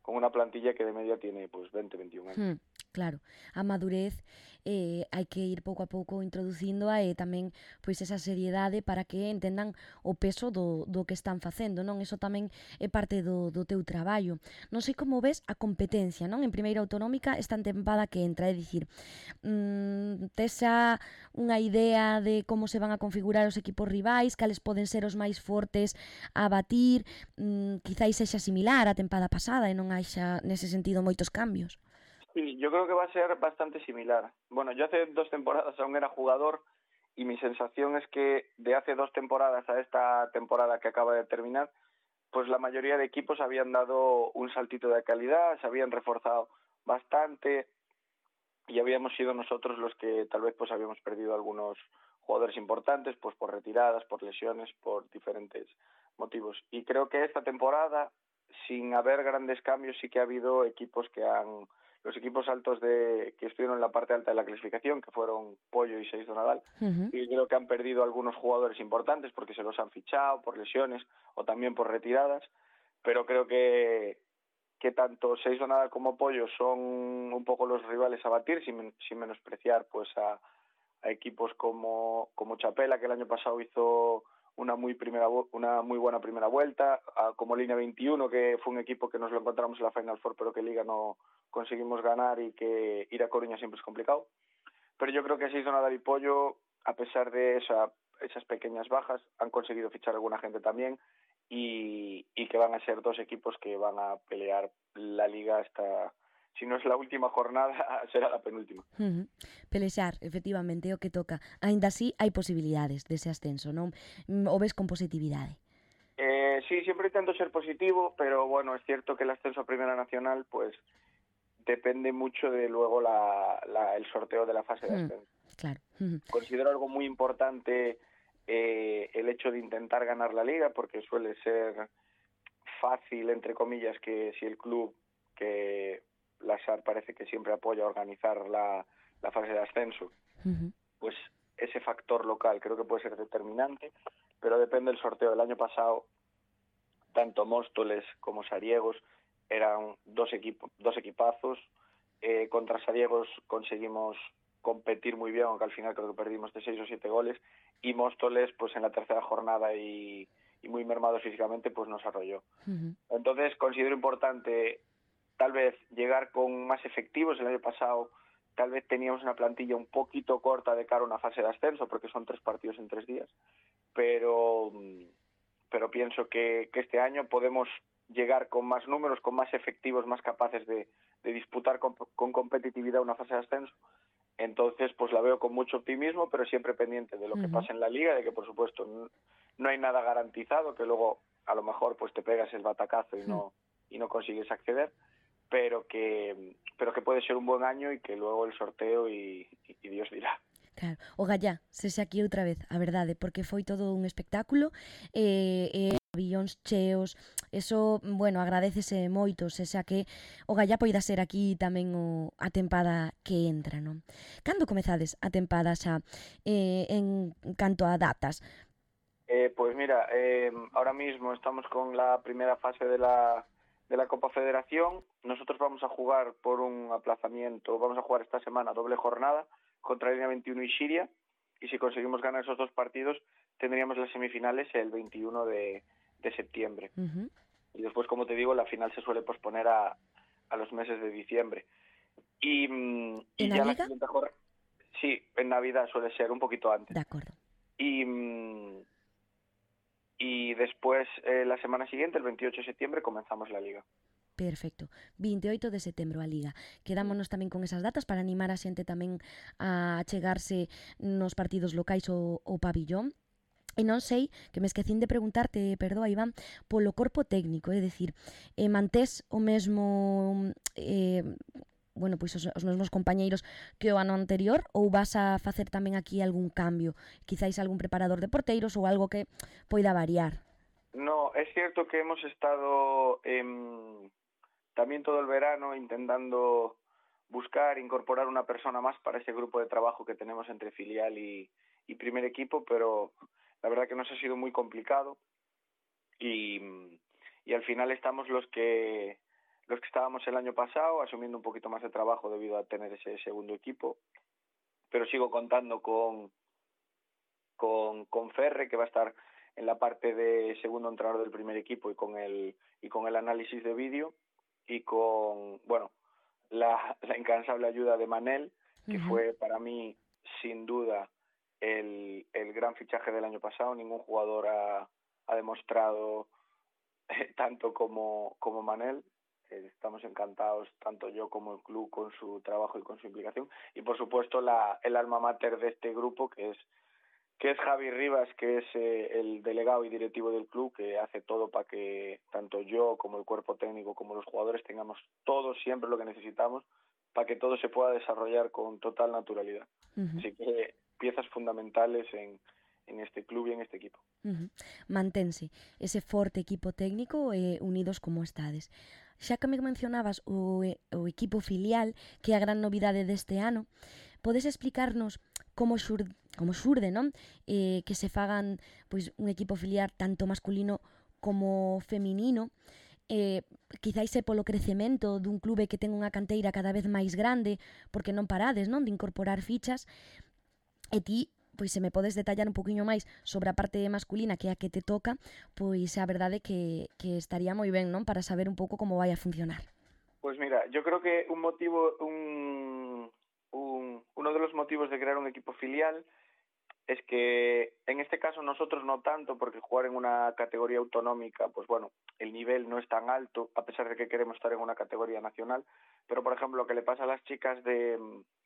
con una plantilla que de media tiene pues veinte, veintiún años. Hmm, claro, a madurez eh, hai que ir pouco a pouco introducíndoa e tamén pois esa seriedade para que entendan o peso do, do que están facendo, non? Eso tamén é parte do, do teu traballo. Non sei como ves a competencia, non? En primeira autonómica esta tempada que entra, é dicir, mmm, tes xa unha idea de como se van a configurar os equipos rivais, cales poden ser os máis fortes a batir, mmm, quizáis sexa similar á tempada pasada e non hai xa nese sentido moitos cambios. Sí, yo creo que va a ser bastante similar. Bueno, yo hace dos temporadas aún era jugador y mi sensación es que de hace dos temporadas a esta temporada que acaba de terminar, pues la mayoría de equipos habían dado un saltito de calidad, se habían reforzado bastante y habíamos sido nosotros los que tal vez pues habíamos perdido algunos jugadores importantes, pues por retiradas, por lesiones, por diferentes motivos. Y creo que esta temporada, sin haber grandes cambios, sí que ha habido equipos que han... Los equipos altos de que estuvieron en la parte alta de la clasificación, que fueron Pollo y Seix do Nadal, uh-huh. y creo que han perdido algunos jugadores importantes porque se los han fichado por lesiones o también por retiradas, pero creo que que tanto Seix do Nadal como Pollo son un poco los rivales a batir, sin, sin menospreciar pues a, a equipos como, como Chapela, que el año pasado hizo una muy primera una muy buena primera vuelta, a, como Línea veintiuno, que fue un equipo que nos lo encontramos en la Final Four, pero que Liga no conseguimos ganar y que ir a Coruña siempre es complicado. Pero yo creo que Seix do Nadal y Pollo, a pesar de esa, esas pequeñas bajas, han conseguido fichar a alguna gente también y, y que van a ser dos equipos que van a pelear la Liga hasta... Si no es la última jornada, será la penúltima. Uh-huh. Pelexar, efectivamente, é o que toca. Ainda así, hai posibilidades dese ascenso, non? O ves con positividade? Eh, sí, siempre intento ser positivo, pero bueno, es cierto que el ascenso a Primera Nacional, pues, depende mucho de luego la, la, el sorteo de la fase de ascenso. Uh-huh. Claro. Uh-huh. Considero algo muy importante eh, el hecho de intentar ganar la Liga, porque suele ser fácil, entre comillas, que si el club que... la S A R parece que siempre apoya organizar la, la fase de ascenso, uh-huh. pues ese factor local creo que puede ser determinante, pero depende del sorteo. El año pasado, tanto Móstoles como Sariegos eran dos, equipo, dos equipazos. Eh, contra Sariegos conseguimos competir muy bien, aunque al final creo que perdimos de seis o siete goles, y Móstoles, pues en la tercera jornada y, y muy mermados físicamente, pues nos arrolló. Uh-huh. Entonces considero importante tal vez llegar con más efectivos. El año pasado tal vez teníamos una plantilla un poquito corta de cara a una fase de ascenso, porque son tres partidos en tres días, pero, pero pienso que, que este año podemos llegar con más números, con más efectivos, más capaces de, de disputar con, con competitividad una fase de ascenso. Entonces, pues la veo con mucho optimismo, pero siempre pendiente de lo que uh-huh. pasa en la liga, de que por supuesto no, no hay nada garantizado, que luego a lo mejor pues te pegas el batacazo y no, y no consigues acceder, pero que, pero que puede ser un buen año y que luego el sorteo y, y, y Dios dirá. Claro, o gallá, sese aquí outra vez, a verdade, porque foi todo un espectáculo, e, e pabillóns cheos, eso, bueno, agradecese moito, sese a que o gallá poida ser aquí tamén o, a tempada que entra, non? Cando comezades a tempada xa eh, en canto a datas? Eh, pues mira, eh, ahora mismo estamos con la primera fase de la, de la Copa Federación. Nosotros vamos a jugar por un aplazamiento, vamos a jugar esta semana doble jornada contra Línea veintiuno y Xiria, y si conseguimos ganar esos dos partidos tendríamos las semifinales el veintiuno de, de septiembre. Uh-huh. Y después, como te digo, la final se suele posponer a, a los meses de diciembre. Y, y ¿En ya la la siguiente jornada, sí, en Navidad suele ser un poquito antes. De acuerdo. Y, y después, eh, la semana siguiente, el veintiocho de septiembre, comenzamos la liga. Perfecto, veintioito de setembro a Liga. Quedámonos tamén con esas datas para animar a xente tamén a chegarse nos partidos locais o, o pabillón. E non sei, que me esquecín de preguntarte, perdoa Iván, polo corpo técnico, é dicir, eh, mantés o mesmo, eh, bueno, pois os, os mesmos compañeiros que o ano anterior, ou vas a facer tamén aquí algún cambio, quizáis algún preparador de porteiros ou algo que poida variar? No, es cierto que hemos estado eh, también todo el verano intentando buscar, incorporar una persona más para ese grupo de trabajo que tenemos entre filial y, y primer equipo, pero la verdad que nos ha sido muy complicado y, y al final estamos los que los que estábamos el año pasado, asumiendo un poquito más de trabajo debido a tener ese segundo equipo, pero sigo contando con, con, con Ferre, que va a estar en la parte de segundo entrenador del primer equipo y con el, y con el análisis de vídeo, y con, bueno, la, la incansable ayuda de Manel, que uh-huh. fue para mí, sin duda, el, el gran fichaje del año pasado. Ningún jugador ha, ha demostrado eh, tanto como, como Manel. Eh, estamos encantados, tanto yo como el club, con su trabajo y con su implicación. Y, por supuesto, la, el alma mater de este grupo, que es que es Javi Rivas, que es eh, el delegado y directivo del club, que hace todo para que tanto yo como el cuerpo técnico como los jugadores tengamos todo siempre lo que necesitamos para que todo se pueda desarrollar con total naturalidad. Uh-huh. Así que piezas fundamentales en, en este club y en este equipo. Uh-huh. Mantense ese forte equipo técnico eh, unidos como estades. Xa que me mencionabas o, o equipo filial, que é a gran novidade deste ano, podes explicarnos como xurde, como xurde, non? Eh, que se fagan pois un equipo filial tanto masculino como feminino, eh, quizáis é polo crecemento dun clube que ten unha canteira cada vez máis grande, porque non parades, non, de incorporar fichas, e ti, pois se me podes detallar un poquinho máis sobre a parte masculina, que é a que te toca, pois a verdade que, que estaría moi ben, non, para saber un pouco como vai a funcionar. Pues mira, yo creo que un motivo, un, un, uno de los motivos de crear un equipo filial es que en este caso nosotros no tanto, porque jugar en una categoría autonómica, pues bueno, el nivel no es tan alto, a pesar de que queremos estar en una categoría nacional, pero por ejemplo lo que le pasa a las chicas de,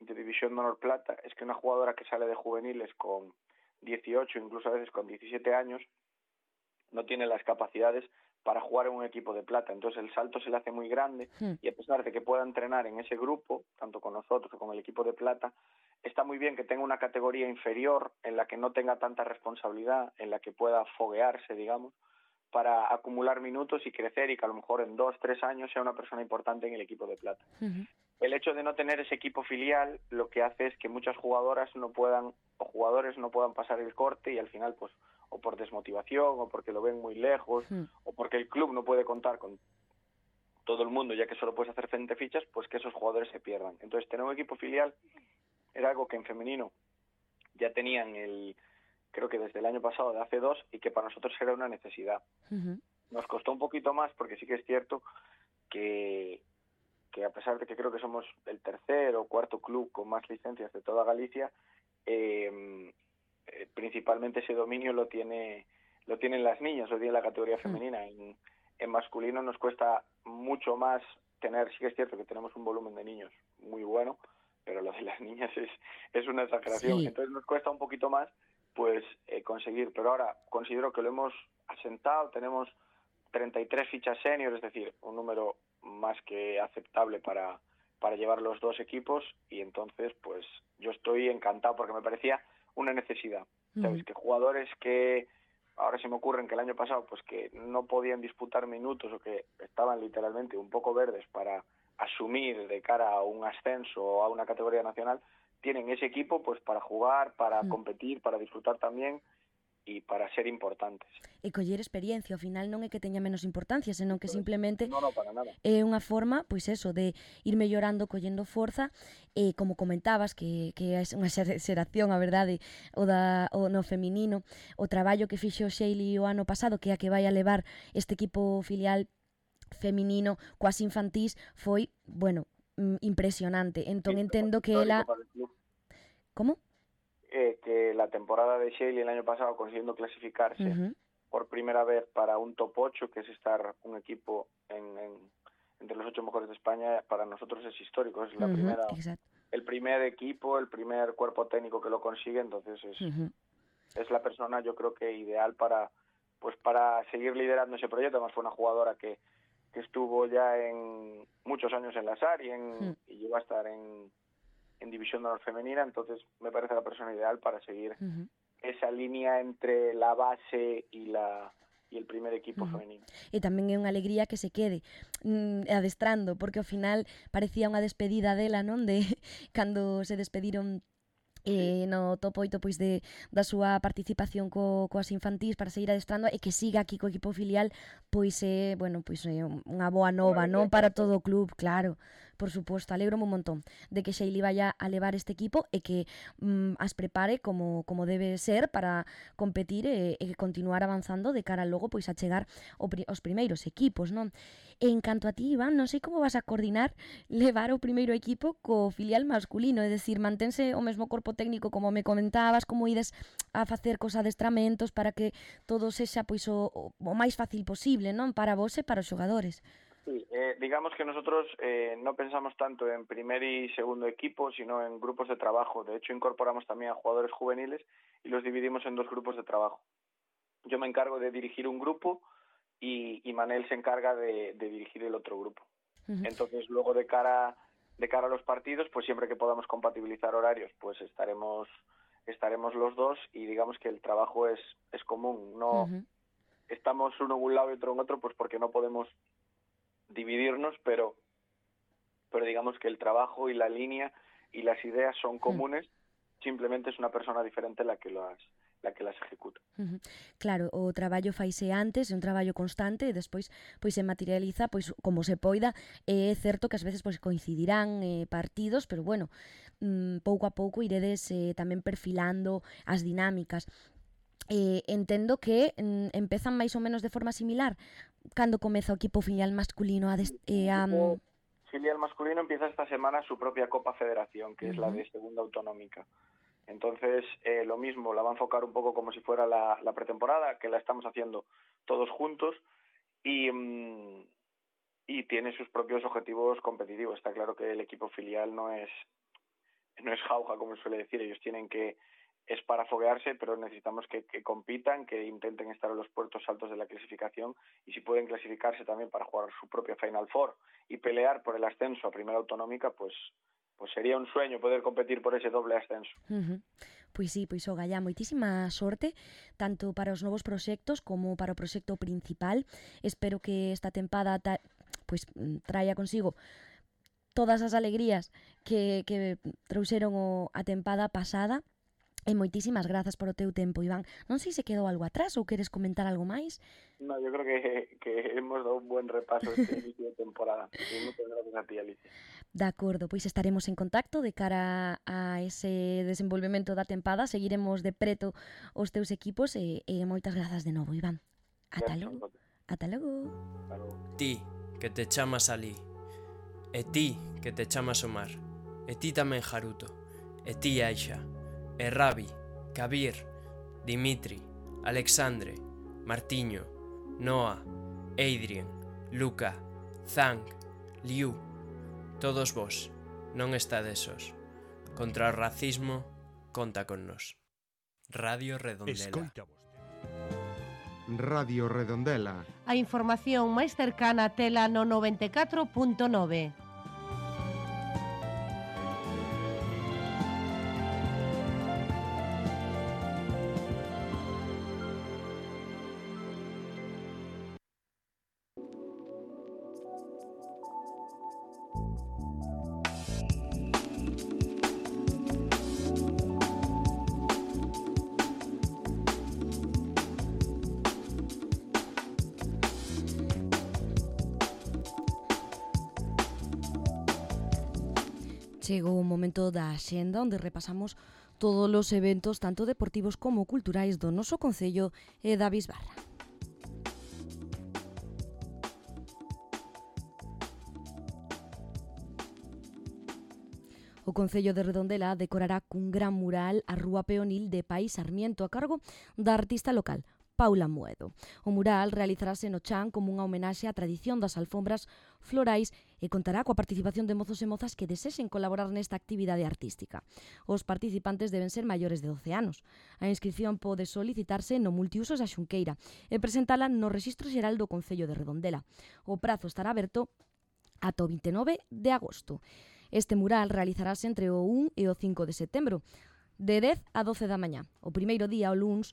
de División de Honor Plata es que una jugadora que sale de juveniles con dieciocho, incluso a veces con diecisiete años, no tiene las capacidades para jugar en un equipo de plata, entonces el salto se le hace muy grande sí. Y a pesar de que pueda entrenar en ese grupo, tanto con nosotros como con el equipo de plata, está muy bien que tenga una categoría inferior en la que no tenga tanta responsabilidad, en la que pueda foguearse, digamos, para acumular minutos y crecer y que a lo mejor en dos, tres años sea una persona importante en el equipo de plata. Uh-huh. El hecho de no tener ese equipo filial lo que hace es que muchas jugadoras no puedan, o jugadores no puedan pasar el corte y al final pues o por desmotivación o porque lo ven muy lejos uh-huh. o porque el club no puede contar con, todo el mundo, ya que solo puedes hacer veinte fichas, pues que esos jugadores se pierdan. Entonces, tener un equipo filial era algo que en femenino ya tenían el, creo que desde el año pasado, de hace dos, y que para nosotros era una necesidad. Uh-huh. Nos costó un poquito más, porque sí que es cierto que, que a pesar de que creo que somos el tercer o cuarto club con más licencias de toda Galicia, eh, eh, principalmente ese dominio lo tiene lo tienen las niñas, lo tiene la categoría femenina. En, en masculino nos cuesta mucho más tener, sí que es cierto que tenemos un volumen de niños muy bueno, pero lo de las niñas es, es una exageración. Sí. Entonces nos cuesta un poquito más pues eh, conseguir, pero ahora considero que lo hemos asentado, tenemos treinta y tres fichas senior, es decir, un número más que aceptable para, para llevar los dos equipos, y entonces pues yo estoy encantado porque me parecía una necesidad. ¿Sabes? Uh-huh. Que jugadores que ahora se me ocurren que el año pasado pues que no podían disputar minutos o que estaban literalmente un poco verdes para asumir de cara a un ascenso o a una categoría nacional, tienen ese equipo pues para jugar, para uh-huh. competir, para disfrutar también e para ser importantes. E coller experiencia, ao final non é que teña menos importancia, senón que simplemente no, no, para nada. É unha forma, pois eso, de ir mellorando, collendo forza, e como comentabas, que, que é unha xeración, a verdade, o, da, o no feminino, o traballo que fixo Xeili o ano pasado, que é a que vai a levar este equipo filial feminino coas infantís, foi, bueno, impresionante. Entón sí, entendo que ela... Como? Eh, que la temporada de Xeili el año pasado consiguiendo clasificarse uh-huh. por primera vez para un top ocho, que es estar un equipo en, en, entre los ocho mejores de España, para nosotros es histórico, es la uh-huh. primera, Exacto. el primer equipo, el primer cuerpo técnico que lo consigue, entonces es, uh-huh. es la persona yo creo que ideal para pues para seguir liderando ese proyecto. Además fue una jugadora que, que estuvo ya en muchos años en la S A R y, en, uh-huh. y llegó a estar en en División de Honor Femenina, entonces me parece la persona ideal para seguir uh-huh. esa línea entre la base y la y el primer equipo uh-huh. femenino. E tamén é unha alegría que se quede mm, adestrando, porque ao final parecía unha despedida dela, non? De cando se despediron eh, no top oito pois de, da súa participación co, coas infantís para seguir adestrando, e que siga aquí co equipo filial, pois é, eh, bueno, pois é eh, unha boa nova, non? Para todo o club, claro. Por suposto, alegro un montón de que Xeili vaya a levar este equipo e que mm, as prepare como, como debe ser para competir e, e continuar avanzando de cara logo pois a chegar ao, aos primeiros equipos, non? E en canto a ti, Iván, non sei como vas a coordinar levar o primeiro equipo co filial masculino, é dicir, mantense o mesmo corpo técnico como me comentabas, como ides a facer cos adestramentos para que todo sexa pois o, o máis fácil posible, non? Para vos e para os xogadores. Sí, eh, digamos que nosotros eh, no pensamos tanto en primer y segundo equipo, sino en grupos de trabajo. De hecho, incorporamos también a jugadores juveniles y los dividimos en dos grupos de trabajo. Yo me encargo de dirigir un grupo y, y Manel se encarga de, de dirigir el otro grupo. Uh-huh. Entonces, luego de cara de cara a los partidos, pues siempre que podamos compatibilizar horarios, pues estaremos estaremos los dos, y digamos que el trabajo es es común. No uh-huh. estamos uno en un lado y otro en otro, pues porque no podemos dividirnos, pero pero digamos que el trabajo y la línea y las ideas son comunes, uh-huh. simplemente es una persona diferente la que las la que las ejecuta. Uh-huh. Claro, o traballo faise antes, é un traballo constante, e despois pois se materializa pois como se poida. É certo que ás veces pois coincidirán eh, partidos, pero bueno, mm, pouco a pouco iredes eh, tamén perfilando as dinámicas. Eh, entendo que mm, empezan máis ou menos de forma similar cando comeza o equipo filial masculino a... Des, eh, a el filial masculino empieza esta semana su propia Copa Federación, que uh-huh. es la de segunda autonómica. Entonces, eh, lo mismo, la va a enfocar un poco como si fuera la, la pretemporada, que la estamos haciendo todos juntos, y, mm, y tiene sus propios objetivos competitivos. Está claro que el equipo filial no es, no es jauja, como se suele decir. Ellos tienen que... es para foguearse, pero necesitamos que, que compitan, que intenten estar en los puertos altos de la clasificación, y si pueden clasificarse también para jugar su propia Final Four y pelear por el ascenso a Primera Autonómica, pues pues sería un sueño poder competir por ese doble ascenso. Uh-huh. Pois sí, pois o Gallá, moitísima sorte tanto para os novos proxectos como para o proxecto principal. Espero que esta tempada ta, pois traia consigo todas as alegrías que, que trouxeron o, a tempada pasada. E moitísimas grazas por o teu tempo, Iván. Non sei se quedou algo atrás ou queres comentar algo máis. No, yo creo que, que hemos dado un buen repaso este inicio de temporada. Y muchas gracias a ti, Alicia. De acordo, pois estaremos en contacto de cara a ese desenvolvemento da tempada. Seguiremos de preto os teus equipos e, e moitas grazas de novo, Iván. Ata logo. Ata logo. Ti, que te chamas Ali. E ti, que te chamas Omar. E ti tamén Haruto. E ti Aisha. E Rabi, Kabir, Dimitri, Alexandre, Martiño, Noah, Adrien, Luca, Zhang, Liu. Todos vos, non estades sós. Contra o racismo, conta con nós. Radio Redondela. Escoita Radio Redondela. A información máis cercana tela no noventa e catro punto nove. Chegou o momento da axenda onde repasamos todos os eventos tanto deportivos como culturais do noso concello e da Bisbarra. O Concello de Redondela decorará cun gran mural a Rúa Peonil de Pai Sarmiento a cargo da artista local Paula Muedo. O mural realizarase no chan como unha homenaxe á tradición das alfombras florais e contará coa participación de mozos e mozas que desexen colaborar nesta actividade artística. Os participantes deben ser maiores de doce anos. A inscripción pode solicitarse no Multiusos da Xunqueira e presentala no Rexistro Xeral do Concello de Redondela. O prazo estará aberto ata o vinte e nove de agosto. Este mural realizarase entre o un e o cinco de setembro, de dez a doce da mañá. O primeiro día, o luns,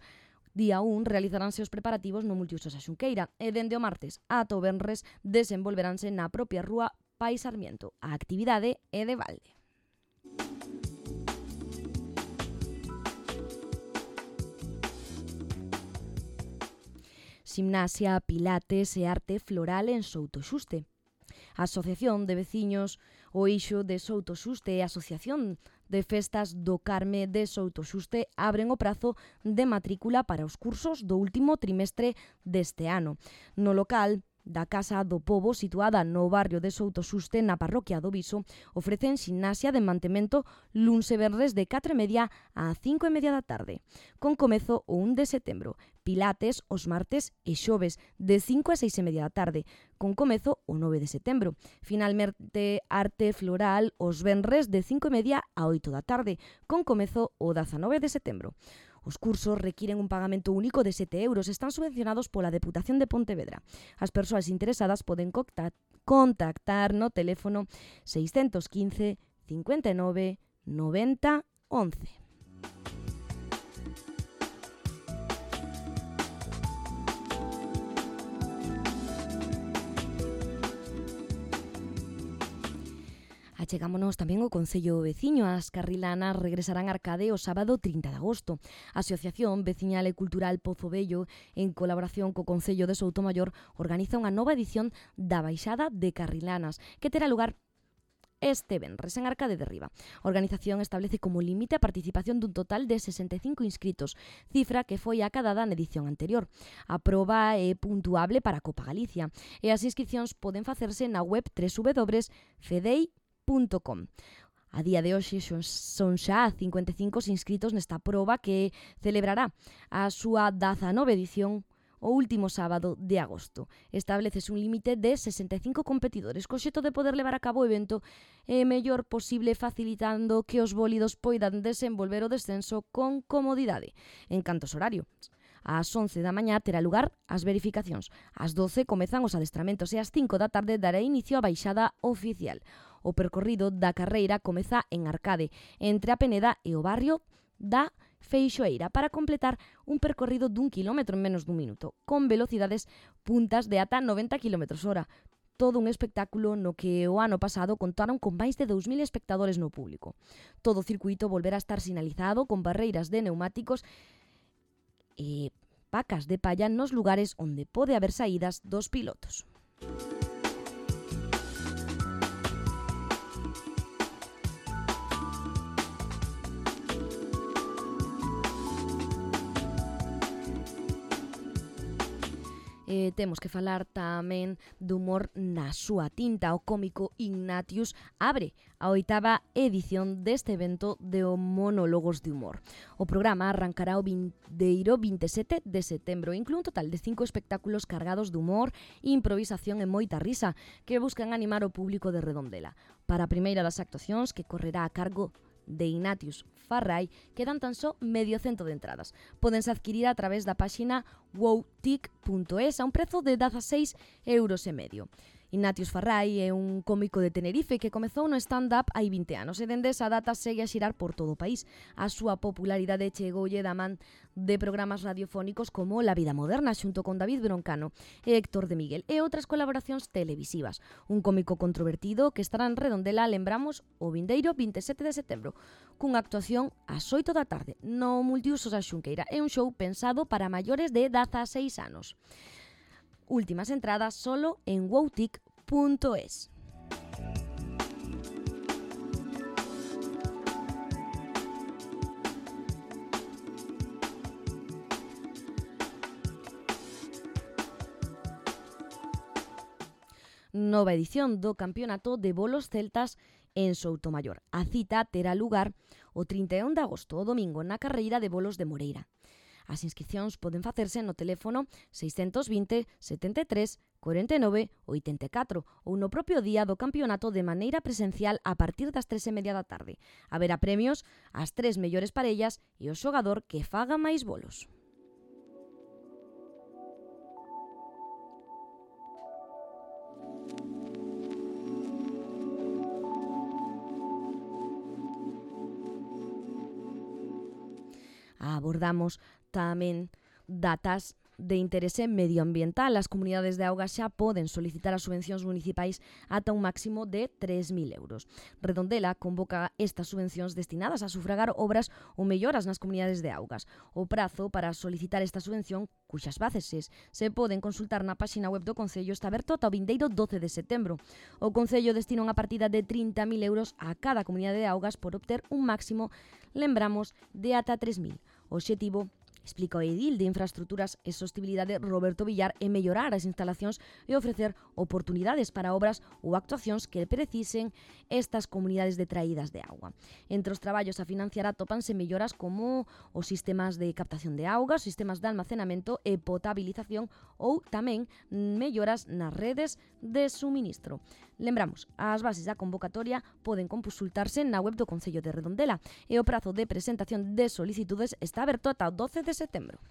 Día un, realizaránse os preparativos no Multiusos da Xunqueira e dende o martes ata o venres desenvolveranse na propia Rúa Pai Sarmiento. A actividade é de balde. Gimnasia, pilates e arte floral en Soutoxuste. A Asociación de Veciños O Ixo de Soutoxuste e a Asociación de Festas do Carme de Soutoxuste abren o prazo de matrícula para os cursos do último trimestre deste ano. No local da Casa do Pobo, situada no barrio de Soutoxuste, na parroquia do Viso, ofrecen ximnasia de mantemento luns e venres de catro e media a cinco e media da tarde, con comezo o un de setembro. Pilates os martes e xoves de cinco a seis e media da tarde, con comezo o nove de setembro. Finalmente, arte floral os venres de cinco e media a oito da tarde, con comezo o dezanove de setembro. Os cursos requiren un pagamento único de sete euros e están subvencionados pola Deputación de Pontevedra. As persoas interesadas poden contactar no teléfono seiscentos quince, cincuenta e nove, noventa, once. Achegámonos tamén ao Concello Veciño. As carrilanas regresarán a Arcade o sábado trinta de agosto. A Asociación Veciñal e Cultural Pozo Vello, en colaboración co Concello de Soutomaior, organiza unha nova edición da Baixada de Carrilanas, que terá lugar este venres en Arcade de Riba. A organización establece como límite a participación dun total de sesenta e cinco inscritos, cifra que foi acadada na edición anterior. A proba é puntuable para a Copa Galicia e as inscripcións poden facerse na web w w w punto fedei punto com. A día de hoxe son xa cincuenta e cinco inscritos nesta proba que celebrará a súa dezanove edición o último sábado de agosto. Establecese un límite de sesenta e cinco competidores, co xeito de poder levar a cabo o evento e mellor posible, facilitando que os bólidos poidan desenvolver o descenso con comodidade. En cantos horario, ás once da mañá terá lugar as verificacións. Ás doce comezan os adestramentos e ás cinco da tarde dará inicio a baixada oficial. O percorrido da carreira comeza en Arcade, entre a Peneda e o barrio da Feixoeira, para completar un percorrido dun kilómetro en menos dun minuto, con velocidades puntas de ata noventa kilómetros hora. Todo un espectáculo no que o ano pasado contaron con máis de dous mil espectadores no público. Todo o circuito volverá a estar sinalizado con barreiras de neumáticos e pacas de palla nos lugares onde pode haber saídas dos pilotos. Eh, temos que falar tamén do humor na súa tinta. O cómico Ignatius abre a oitava edición deste evento de monólogos de humor. O programa arrancará o vindeiro vinte e sete de setembro. Inclúe un total de cinco espectáculos cargados de humor, improvisación e moita risa que buscan animar o público de Redondela. Para a primeira das actuacións, que correrá a cargo de Ignatius Farrai, quedan tan só medio cento de entradas. Pódense adquirir a través da páxina wowtic punto es a un prezo de dezaseis euros e medio. Ignatius Farrai é un cómico de Tenerife que comezou no stand-up hai vinte anos e dende esa data segue a xirar por todo o país. A súa popularidade chegoulle da man de programas radiofónicos como La Vida Moderna xunto con David Broncano e Héctor de Miguel e outras colaboracións televisivas. Un cómico controvertido que estará en Redondela, lembramos, o vindeiro vinte e sete de setembro, cunha actuación ás oito da tarde no Multiusos a Xunqueira. É un show pensado para maiores de dezaseis anos. Últimas entradas solo en wowtic punto es. Nova edición do Campeonato de Bolos Celtas en Soutomaior. A cita terá lugar o trinta e un de agosto, o domingo, na carreira de bolos de Moreira. As inscricións poden facerse no teléfono seiscentos vinte, setenta e tres, cuarenta e nove, oitenta e catro ou no propio día do campeonato de maneira presencial a partir das tres e media da tarde. Haberá premios ás tres mellores parellas e o xogador que faga máis bolos. Abordamos tamén datas de interese medioambiental. As comunidades de augas xa poden solicitar as subvencións municipais ata un máximo de tres mil euros. Redondela convoca estas subvencións destinadas a sufragar obras ou melloras nas comunidades de augas. O prazo para solicitar esta subvención, cuxas bases se poden consultar na páxina web do Concello, está aberto ata o vindeiro doce de setembro. O Concello destina unha partida de trinta mil euros a cada comunidade de augas por obter un máximo, lembramos, de ata tres mil. O obxectivo, explica o edil de Infraestructuras e Sostibilidade Roberto Villar, é mellorar as instalacións e ofrecer oportunidades para obras ou actuacións que precisen estas comunidades detraídas de auga. Entre os traballos a financiar atópanse melloras como os sistemas de captación de auga, os sistemas de almacenamento e potabilización ou tamén melloras nas redes de suministro. Lembramos, as bases da convocatoria poden consultarse na web do Concello de Redondela e o prazo de presentación de solicitudes está aberto ata o doce de setembro.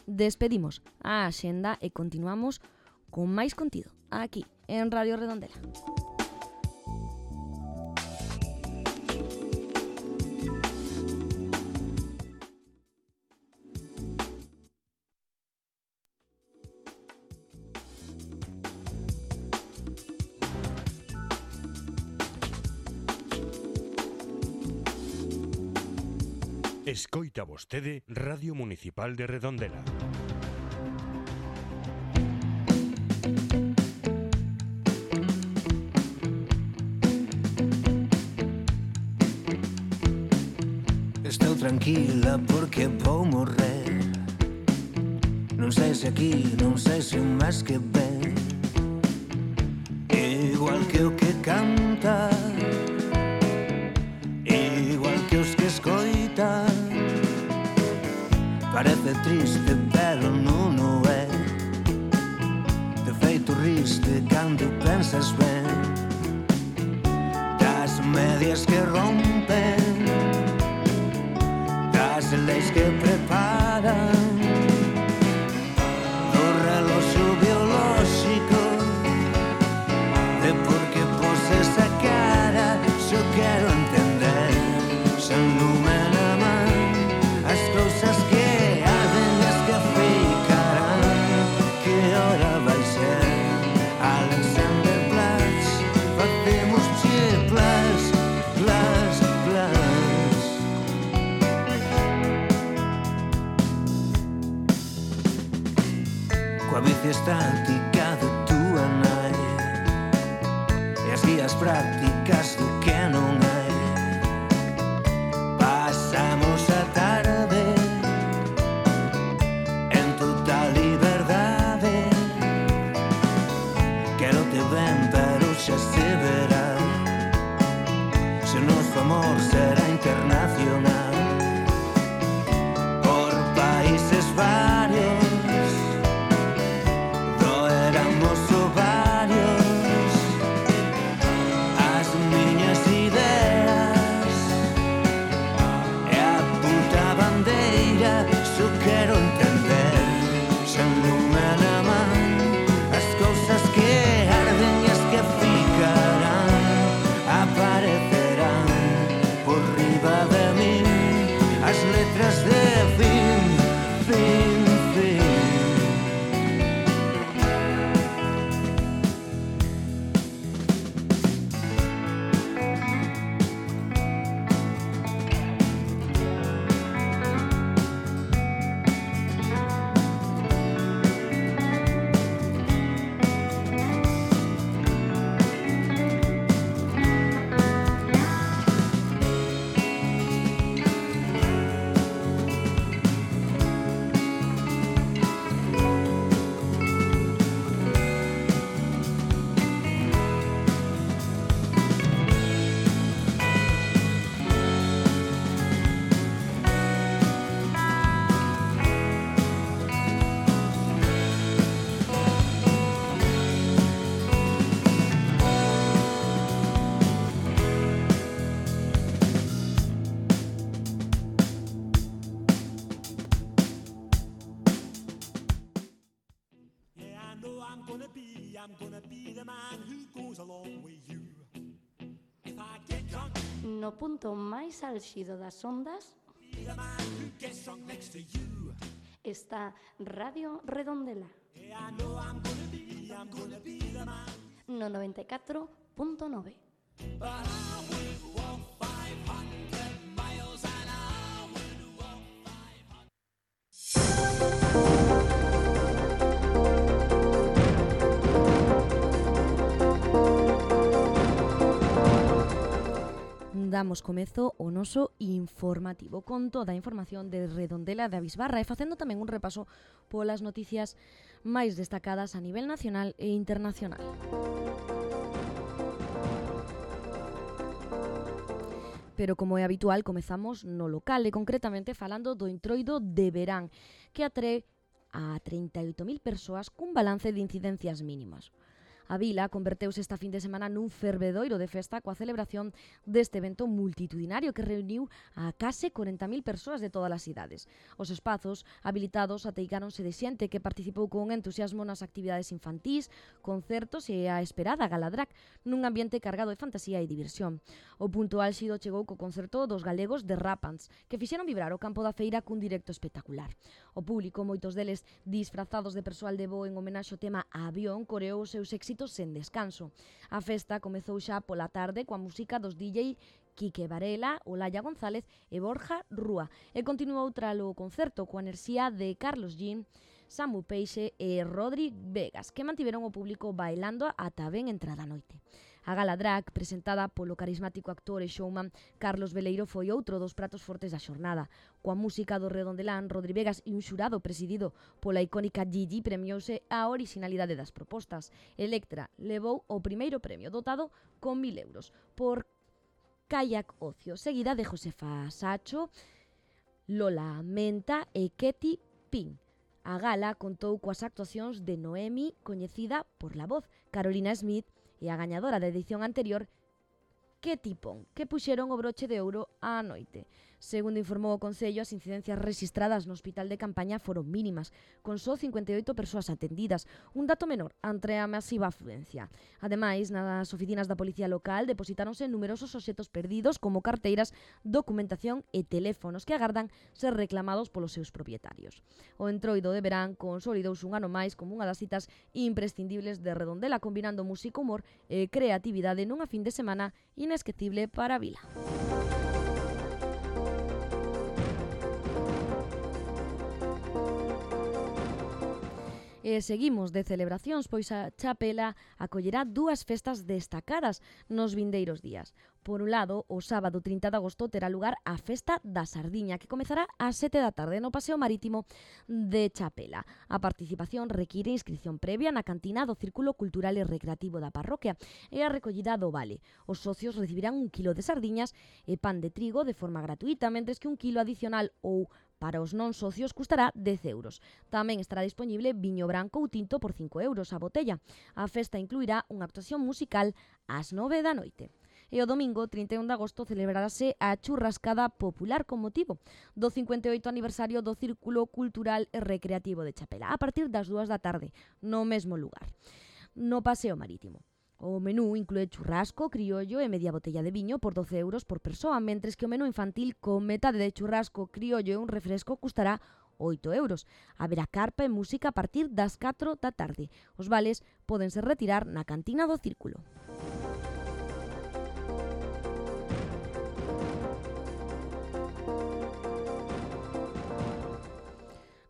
Despedimos a axenda e continuamos con máis contido aquí en Radio Redondela. Escoita vostede Radio Municipal de Redondela. Estou tranquila porque vou morrer. Non sei se aquí, non sei se un máis que ben. Igual que o que canta, igual que os que escoitan. Parece triste, pero non o é. De feito riste cando pensas ben das medias que rompen, das leis que preparan, do reloxo biolóxico, de por que pos esa cara. Xo quero entender, sen lume na man, as cousas que coa bici estática de túa nai e as guías prácticas do que non hai. Pasamos a tarde en total liberdade. Quero te ben, pero xa se verá se o noso amor será internacional. Por países varios doeramos ovarios. As miñas ideas e a puta bandeira. Só quero entender, sen lume na man, as cousas que arden e as que ficarán, aparecerán por riba de min, as letras de fin, fin, fin. No punto máis álxido das ondas está Radio Redondela no noventa e catro punto nove. Damos comezo ao noso informativo con toda a información de Redondela de Avisbarra e facendo tamén un repaso polas noticias máis destacadas a nivel nacional e internacional. Pero como é habitual, comezamos no local e concretamente falando do Entroido de verán, que atrae a trinta e oito mil persoas cun balance de incidencias mínimas. A vila converteuse esta fin de semana nun fervedoiro de festa coa celebración deste evento multitudinario que reuniu a case corenta mil persoas de todas as idades. Os espazos habilitados ateigáronse de xente que participou con entusiasmo nas actividades infantís, concertos e a esperada galadrac nun ambiente cargado de fantasía e diversión. O punto álxido chegou co concerto dos galegos de Rapans, que fixeron vibrar o campo da feira cun directo espectacular. O público, moitos deles disfrazados de persoal de voo en homenaxe ao tema Avión, coreou os seus éxitos sen descanso. A festa comezou xa pola tarde coa música dos D J Quique Varela, Olaya González e Borja Rúa e continuou tralo concerto coa enerxía de Carlos Jean, Samu Peixe e Rodri Vegas, que mantiveron o público bailando ata ben entrada a noite. A gala drag, presentada polo carismático actor e showman Carlos Veleiro, foi outro dos pratos fortes da xornada. Coa música do Redondelán, Rodri Vegas e un xurado presidido pola icónica Gigi premiouse a originalidade das propostas. Electra levou o primeiro premio, dotado con mil euros, por Kayak Ocio, seguida de Josefa Sacho, Lola Menta e Ketty Pin. A gala contou coas actuacións de Noemi, coñecida por La Voz, Carolina Smith e a gañadora da edición anterior, Ketty Pon, que puxeron o broche de ouro á noite. Segundo informou o Concello, as incidencias rexistradas no hospital de campaña foron mínimas, con só cincuenta e oito persoas atendidas, un dato menor ante a masiva afluencia. Ademais, nas oficinas da Policía Local depositáronse numerosos obxetos perdidos como carteiras, documentación e teléfonos que agardan ser reclamados polos seus propietarios. O Entroido de verán consolidouse un ano máis como unha das citas imprescindibles de Redondela, combinando música, humor e creatividade nunha fin de semana inesquecible para a vila. E seguimos de celebracións, pois a Chapela acollerá dúas festas destacadas nos vindeiros días. Por un lado, o sábado trinta de agosto terá lugar a Festa da Sardiña, que comezará ás sete da tarde no Paseo Marítimo de Chapela. A participación require inscripción previa na cantina do Círculo Cultural e Recreativo da parroquia e a recollida do vale. Os socios recibirán un quilo de sardiñas e pan de trigo de forma gratuita, mentres que un quilo adicional ou para os non socios custará dez euros. Tamén estará disponible viño branco ou tinto por cinco euros a botella. A festa incluirá unha actuación musical ás nove da noite. E o domingo, trinta e un de agosto, celebrarase a churrascada popular con motivo do cincuenta e oito aniversario do Círculo Cultural e Recreativo de Chapela, a partir das dúas da tarde, no mesmo lugar, no Paseo Marítimo. O menú inclúe churrasco, criollo e media botella de viño por doce euros por persoa, mentres que o menú infantil con metade de churrasco, criollo e un refresco custará oito euros. Haberá carpa e música a partir das catro da tarde. Os vales pódense retirar na cantina do Círculo.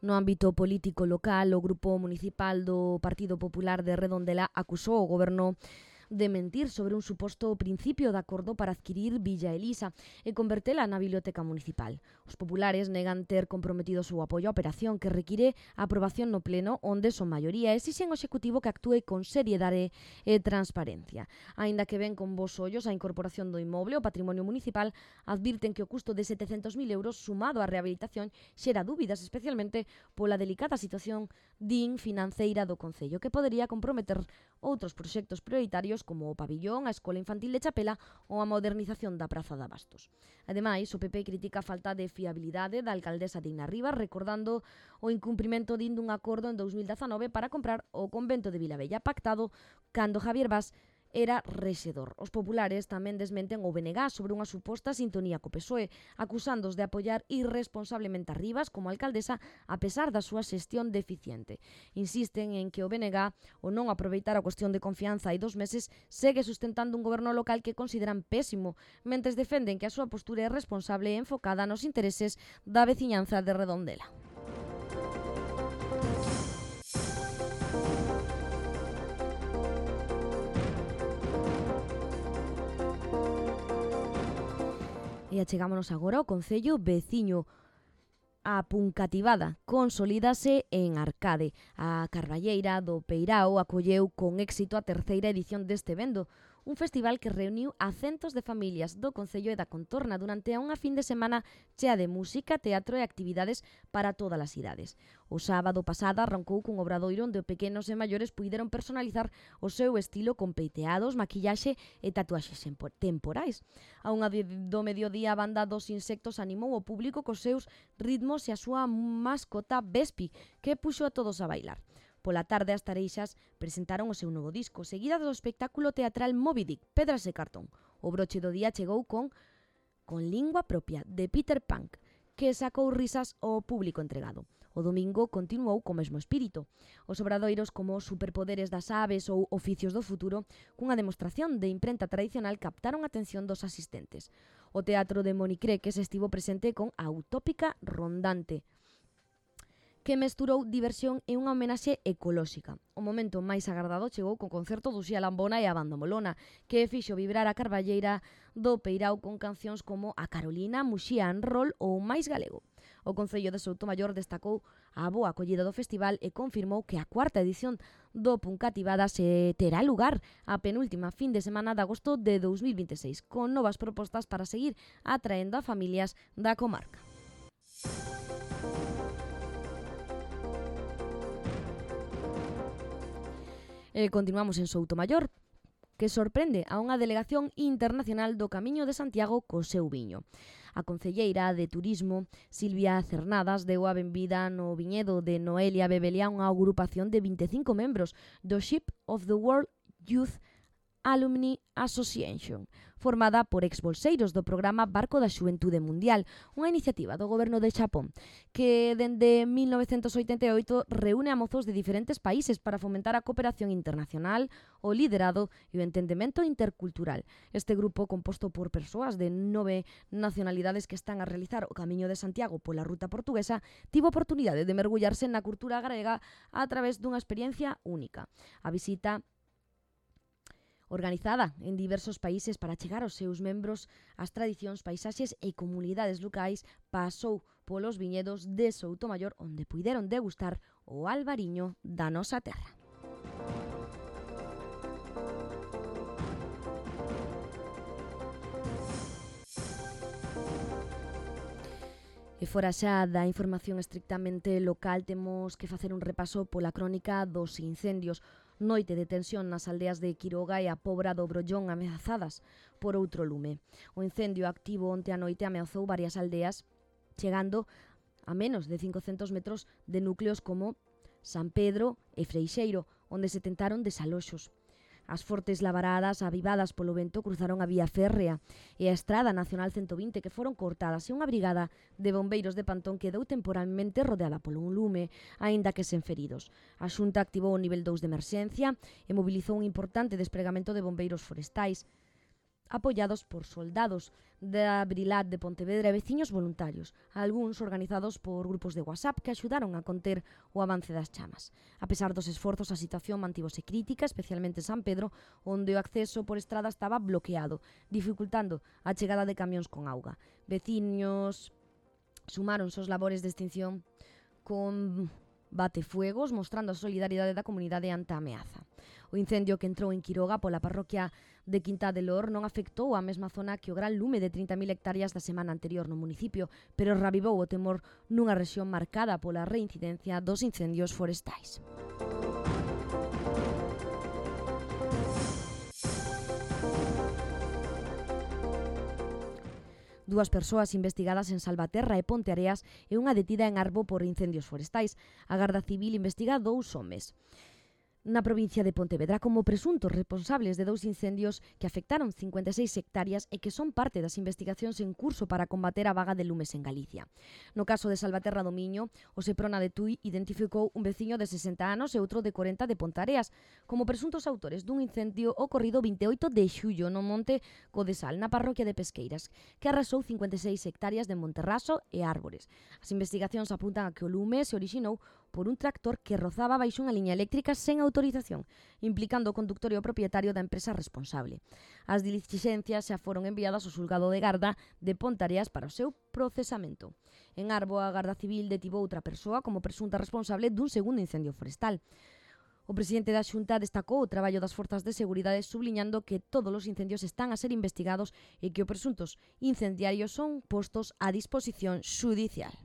No ámbito político local, o Grupo Municipal do Partido Popular de Redondela acusou o Goberno de mentir sobre un suposto principio de acordo para adquirir Villa Elisa e convertela na biblioteca municipal. Os populares negan ter comprometido o seu apoio á operación, que require a aprobación no pleno onde son maioría e exixen ao Executivo que actúe con seriedade e transparencia. Aínda que ven con bons ollos a incorporación do inmoble ao patrimonio municipal, advirten que o custo de setecentos mil euros sumado á rehabilitación xera dúbidas, especialmente pola delicada situación din financeira do Concello, que podería comprometer outros proxectos prioritarios como o pabillón, a Escola Infantil de Chapela ou a modernización da Praza de Abastos. Ademais, o P P critica a falta de fiabilidade da alcaldesa Dina Rivas, recordando o incumprimento din dun acordo en dous mil dezanove para comprar o convento de Vilabella, pactado cando Javier Bas era rexedor. Os populares tamén desmenten o B N G sobre unha suposta sintonía co P S O E, acusándos de apoiar irresponsablemente a Rivas como alcaldesa a pesar da súa xestión deficiente. Insisten en que o B N G, o non aproveitar a cuestión de confianza hai dos meses, segue sustentando un goberno local que consideran pésimo, mentres defenden que a súa postura é responsable e enfocada nos intereses da veciñanza de Redondela. E achegámonos agora ao Concello veciño. A Puncativada consolídase en Arcade. A Carballeira do Peirao acolleu con éxito a terceira edición deste evento, un festival que reuniu a centos de familias do Concello e da contorna durante unha fin de semana chea de música, teatro e actividades para todas as idades. O sábado pasado arrancou cun obradoiro onde pequenos e maiores puideron personalizar o seu estilo con peiteados, maquillaxe e tatuaxes temporais. A unha do mediodía a banda dos Insectos animou o público cos seus ritmos e a súa mascota Vespi, que puxo a todos a bailar. Pola tarde, as Tareixas presentaron o seu novo disco, seguida do espectáculo teatral Moby Dick, Pedras e Cartón. O broche do día chegou con con Lingua Propia, de Peter Pan, que sacou risas ao público entregado. O domingo continuou co mesmo espírito. Os obradoiros como Superpoderes das Aves ou Oficios do Futuro, cunha demostración de imprenta tradicional, captaron a atención dos asistentes. O teatro de Monicreques estivo presente con a Utópica Rondante, que mesturou diversión e unha homenaxe ecolóxica. O momento máis agardado chegou co concerto do Xia Lambona e a Banda Molona, que fixo vibrar a Carballeira do Peirao con cancións como A Carolina, Muxía en Rol ou Mais Galego. O Concello de Soutomaior destacou a boa acollida do festival e confirmou que a cuarta edición do Puncativada se terá lugar a penúltima fin de semana de agosto de dous mil vinte e seis, con novas propostas para seguir atraendo a familias da comarca. E continuamos en Soutomaior, que sorprende a unha delegación internacional do Camiño de Santiago co seu viño. A concelleira de Turismo, Silvia Cernadas, deu a benvida no viñedo de Noelia Bebeliá unha agrupación de vinte e cinco membros do Ship of the World Youth Alumni Association, formada por exbolseiros do programa Barco da Xuventude Mundial, unha iniciativa do goberno de Xapón, que dende mil novecentos oitenta e oito reúne a mozos de diferentes países para fomentar a cooperación internacional, o liderado e o entendemento intercultural. Este grupo, composto por persoas de nove nacionalidades que están a realizar o Camiño de Santiago pola ruta portuguesa, tivo oportunidade de mergullarse na cultura grega a través dunha experiencia única. A visita organizada en diversos países para chegar aos seus membros as tradicións, paisaxes e comunidades locais, pasou polos viñedos de Soutomaior, onde puideron degustar o albariño da nosa terra. E fora xa da información estrictamente local, temos que facer un repaso pola crónica dos incendios. Noite de tensión nas aldeas de Quiroga e a Pobra do Brollón ameazadas por outro lume. O incendio activo onte a noite ameazou varias aldeas, chegando a menos de cincocentos metros de núcleos como San Pedro e Freixeiro, onde se tentaron desaloxos. As fortes lavaradas avivadas polo vento cruzaron a vía férrea e a Estrada Nacional ciento vinte, que foron cortadas, e unha brigada de bombeiros de Pantón quedou temporalmente rodeada polo un lume, aínda que sen feridos. A Xunta activou o nivel dous de emerxencia e mobilizou un importante despregamento de bombeiros forestais, apoiados por soldados da Brilat de Pontevedra e veciños voluntarios, algúns organizados por grupos de WhatsApp que axudaron a conter o avance das chamas. A pesar dos esforzos, a situación mantívose crítica, especialmente en San Pedro, onde o acceso por estrada estaba bloqueado, dificultando a chegada de camións con auga. Veciños sumaron os labores de extinción con batefuegos, mostrando a solidaridade da comunidade ante a ameaza. O incendio que entrou en Quiroga pola parroquia de Quintá de Lor non afectou a mesma zona que o gran lume de trinta mil hectáreas da semana anterior no municipio, pero ravivou o temor nunha rexión marcada pola reincidencia dos incendios forestais. Dúas persoas investigadas en Salvaterra e Ponteareas e unha detida en Arbo por incendios forestais. A Garda Civil investiga dous homes na provincia de Pontevedra como presuntos responsables de dous incendios que afectaron cincuenta e seis hectáreas e que son parte das investigacións en curso para combater a vaga de lumes en Galicia. No caso de Salvaterra do Miño, o Seprona de Tui identificou un veciño de sesenta anos e outro de corenta de Pontareas como presuntos autores dun incendio ocorrido vinte e oito de xullo no monte Codesal, na parroquia de Pesqueiras, que arrasou cincuenta e seis hectáreas de monterraso e árbores. As investigacións apuntan a que o lume se orixinou por un tractor que rozaba baixo unha liña eléctrica sen autorización, implicando o conductor e o propietario da empresa responsable. As dilixencias xa foron enviadas ao xulgado de Garda de Pontareas para o seu procesamento. En Arbo, a Garda Civil detivo outra persoa como presunta responsable dun segundo incendio forestal. O presidente da Xunta destacou o traballo das forzas de seguridade, subliñando que todos os incendios están a ser investigados e que os presuntos incendiarios son postos a disposición xudicial.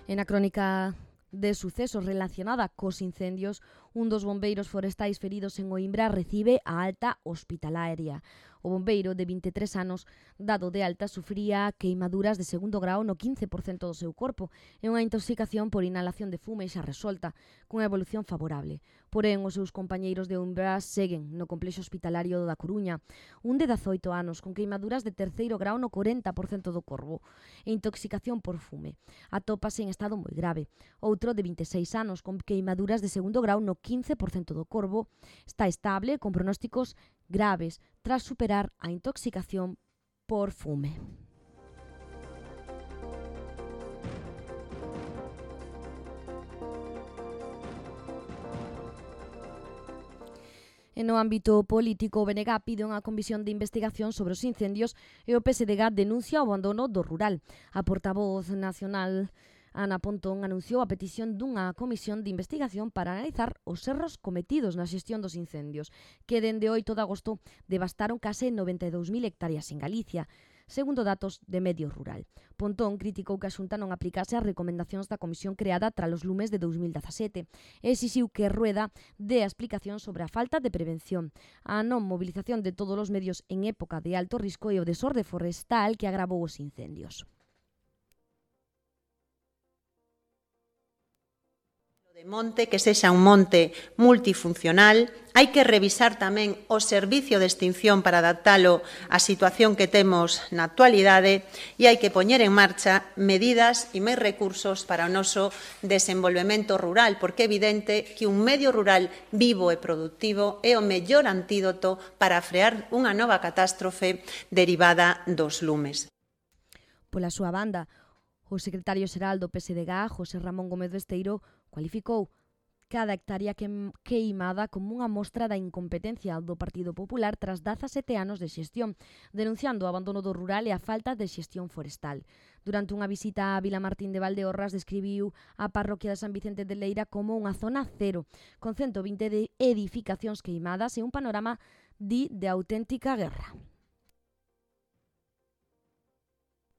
En a crónica de sucesos relacionada cos incendios, un dos bombeiros forestais feridos en Oimbra recibe a alta hospitalaria. O bombeiro de vinte e tres anos, dado de alta, sufría queimaduras de segundo grao no quince por cento do seu corpo e unha intoxicación por inhalación de fume xa resolta, cunha evolución favorable. Porén, os seus compañeiros de Oimbra seguen no complexo hospitalario da Coruña, un de dezaoito anos con queimaduras de terceiro grao no corenta por cento do corpo e intoxicación por fume. Atópase en estado moi grave. Outro de vinte e seis anos con queimaduras de segundo grao no quince por cento do corpo está estable con pronósticos graves tras superar a intoxicación por fume. E no ámbito político, o B N G pide unha comisión de investigación sobre os incendios e o P S D G denuncia o abandono do rural. A portavoz nacional Ana Pontón anunciou a petición dunha comisión de investigación para analizar os erros cometidos na xestión dos incendios, que dende oito de agosto devastaron case noventa e dous mil hectáreas en Galicia, segundo datos de Medio Rural. Pontón criticou que a Xunta non aplicase as recomendacións da comisión creada tras os lumes de dous mil dezasete e exixiu que Rueda dé a explicación sobre a falta de prevención, a non movilización de todos os medios en época de alto risco e o desorde forestal que agravou os incendios. monte que sexa un monte multifuncional, hai que revisar tamén o servicio de extinción para adaptalo á situación que temos na actualidade e hai que poñer en marcha medidas e máis recursos para o noso desenvolvemento rural, porque é evidente que un medio rural vivo e productivo é o mellor antídoto para frear unha nova catástrofe derivada dos lumes. Pola súa banda, o secretario xeral do P S D G, José Ramón Gómez Besteiro, cualificou cada hectárea queimada como unha mostra da incompetencia do Partido Popular tras dezasete anos de xestión, denunciando o abandono do rural e a falta de xestión forestal. Durante unha visita a Vilamartín de Valdeorras, describiu a parroquia de San Vicente de Leira como unha zona cero, con ciento vinte de edificacións queimadas e un panorama, di, de auténtica guerra.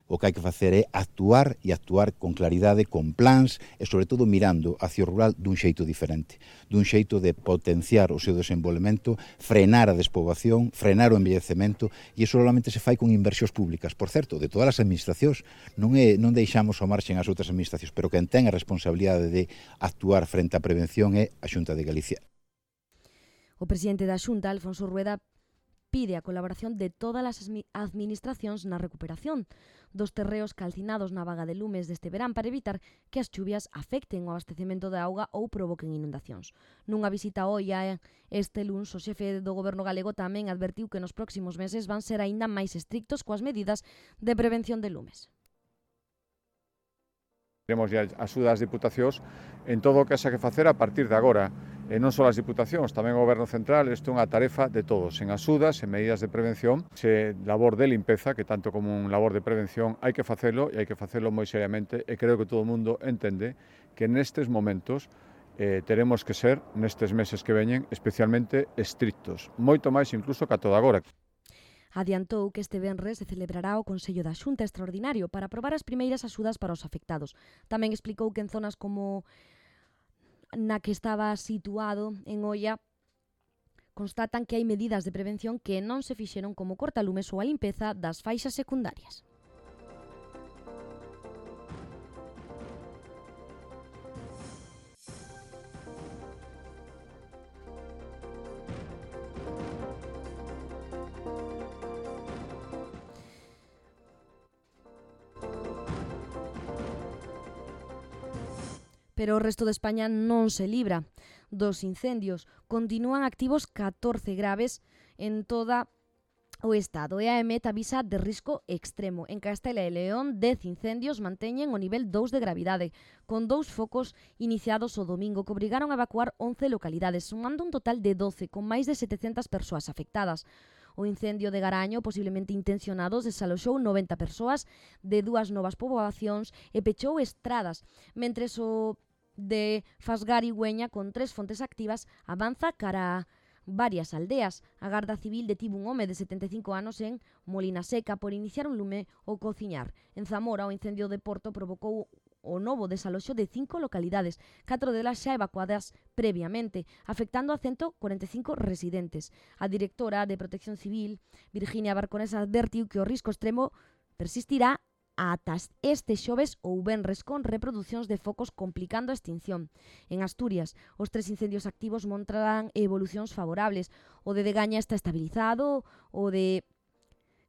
O que hai que facer é actuar e actuar con claridade, con plans e, sobre todo, mirando hacia o rural dun xeito diferente, dun xeito de potenciar o seu desenvolvemento, frenar a despoboación, frenar o envellecemento, e iso solamente se fai con inversións públicas. Por certo, de todas as administracións, non, é, non deixamos ao marxen as outras administracións, pero quen ten a responsabilidade de actuar frente á prevención é a Xunta de Galicia. O presidente da Xunta, Alfonso Rueda, pide a colaboración de todas as administracións na recuperación dos terreos calcinados na vaga de lumes deste verán para evitar que as chuvias afecten o abastecemento de auga ou provoquen inundacións. Nunha visita a Oia este luns, o xefe do goberno galego tamén advertiu que nos próximos meses van ser aínda máis estrictos coas medidas de prevención de lumes. Teremos a axuda das diputacións en todo o que haxa que facer a partir de agora. E non só as diputacións, tamén o Goberno Central, isto é unha tarefa de todos, en axudas, en medidas de prevención, se labor de limpeza, que tanto como un labor de prevención hai que facelo, e hai que facelo moi seriamente, e creo que todo o mundo entende que nestes momentos eh, teremos que ser, nestes meses que veñen, especialmente estrictos, moito máis incluso que a toda agora. Adiantou que este venres se celebrará o Consello da Xunta Extraordinario para aprobar as primeiras axudas para os afectados. Tamén explicou que en zonas como na que estaba situado en Oia constatan que hai medidas de prevención que non se fixeron como cortalumes ou a limpeza das faixas secundarias. Pero o resto de España non se libra dos incendios. Continúan activos catorce graves en toda o Estado e a EMET avisa de risco extremo. En Castela e León, dez incendios manteñen o nivel dous de gravidade, con dous focos iniciados o domingo que obrigaron a evacuar once localidades, sumando un total de doce, con máis de setecentas persoas afectadas. O incendio de Garaño, posiblemente intencionado, desaloxou noventa persoas de dúas novas poboacións e pechou estradas, mentres o de Fasgar e Güeña, con tres fontes activas, avanza cara a varias aldeas. A Garda Civil detivo un home de setenta e cinco anos en Molina Seca por iniciar un lume ou cociñar. En Zamora, o incendio de Porto provocou o novo desaloxo de cinco localidades, catro delas xa evacuadas previamente, afectando a ciento cuarenta e cinco residentes. A directora de Protección Civil, Virginia Barconesa, advertiu que o risco extremo persistirá ata este xoves ou venres con reproducións de focos complicando a extinción. En Asturias, os tres incendios activos mostrarán evolucións favorables. O de Degaña está estabilizado, o de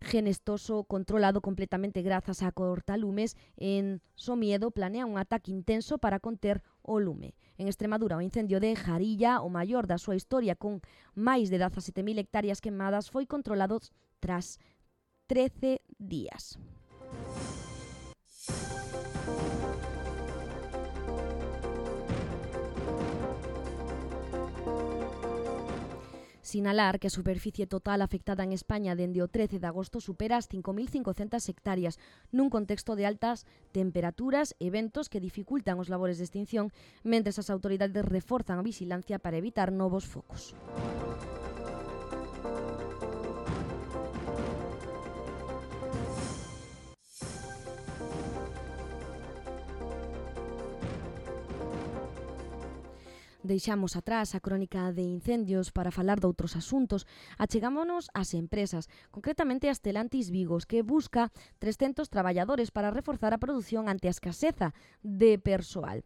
Genestoso controlado completamente grazas a cortalumes. En Somiedo planea un ataque intenso para conter o lume. En Extremadura, o incendio de Jarilla, o maior da súa historia, con máis de dezasete mil hectáreas quemadas, foi controlado tras trece días. Sinalar que a superficie total afectada en España dende o trece de agosto supera as cinco mil cincocentas hectáreas, nun contexto de altas temperaturas e ventos que dificultan os labores de extinción, mentres as autoridades reforzan a vigilancia para evitar novos focos. Deixamos atrás a crónica de incendios para falar de outros asuntos. Achegámonos ás empresas, concretamente a Stellantis Vigos, que busca trescentos traballadores para reforzar a produción ante a escaseza de persoal.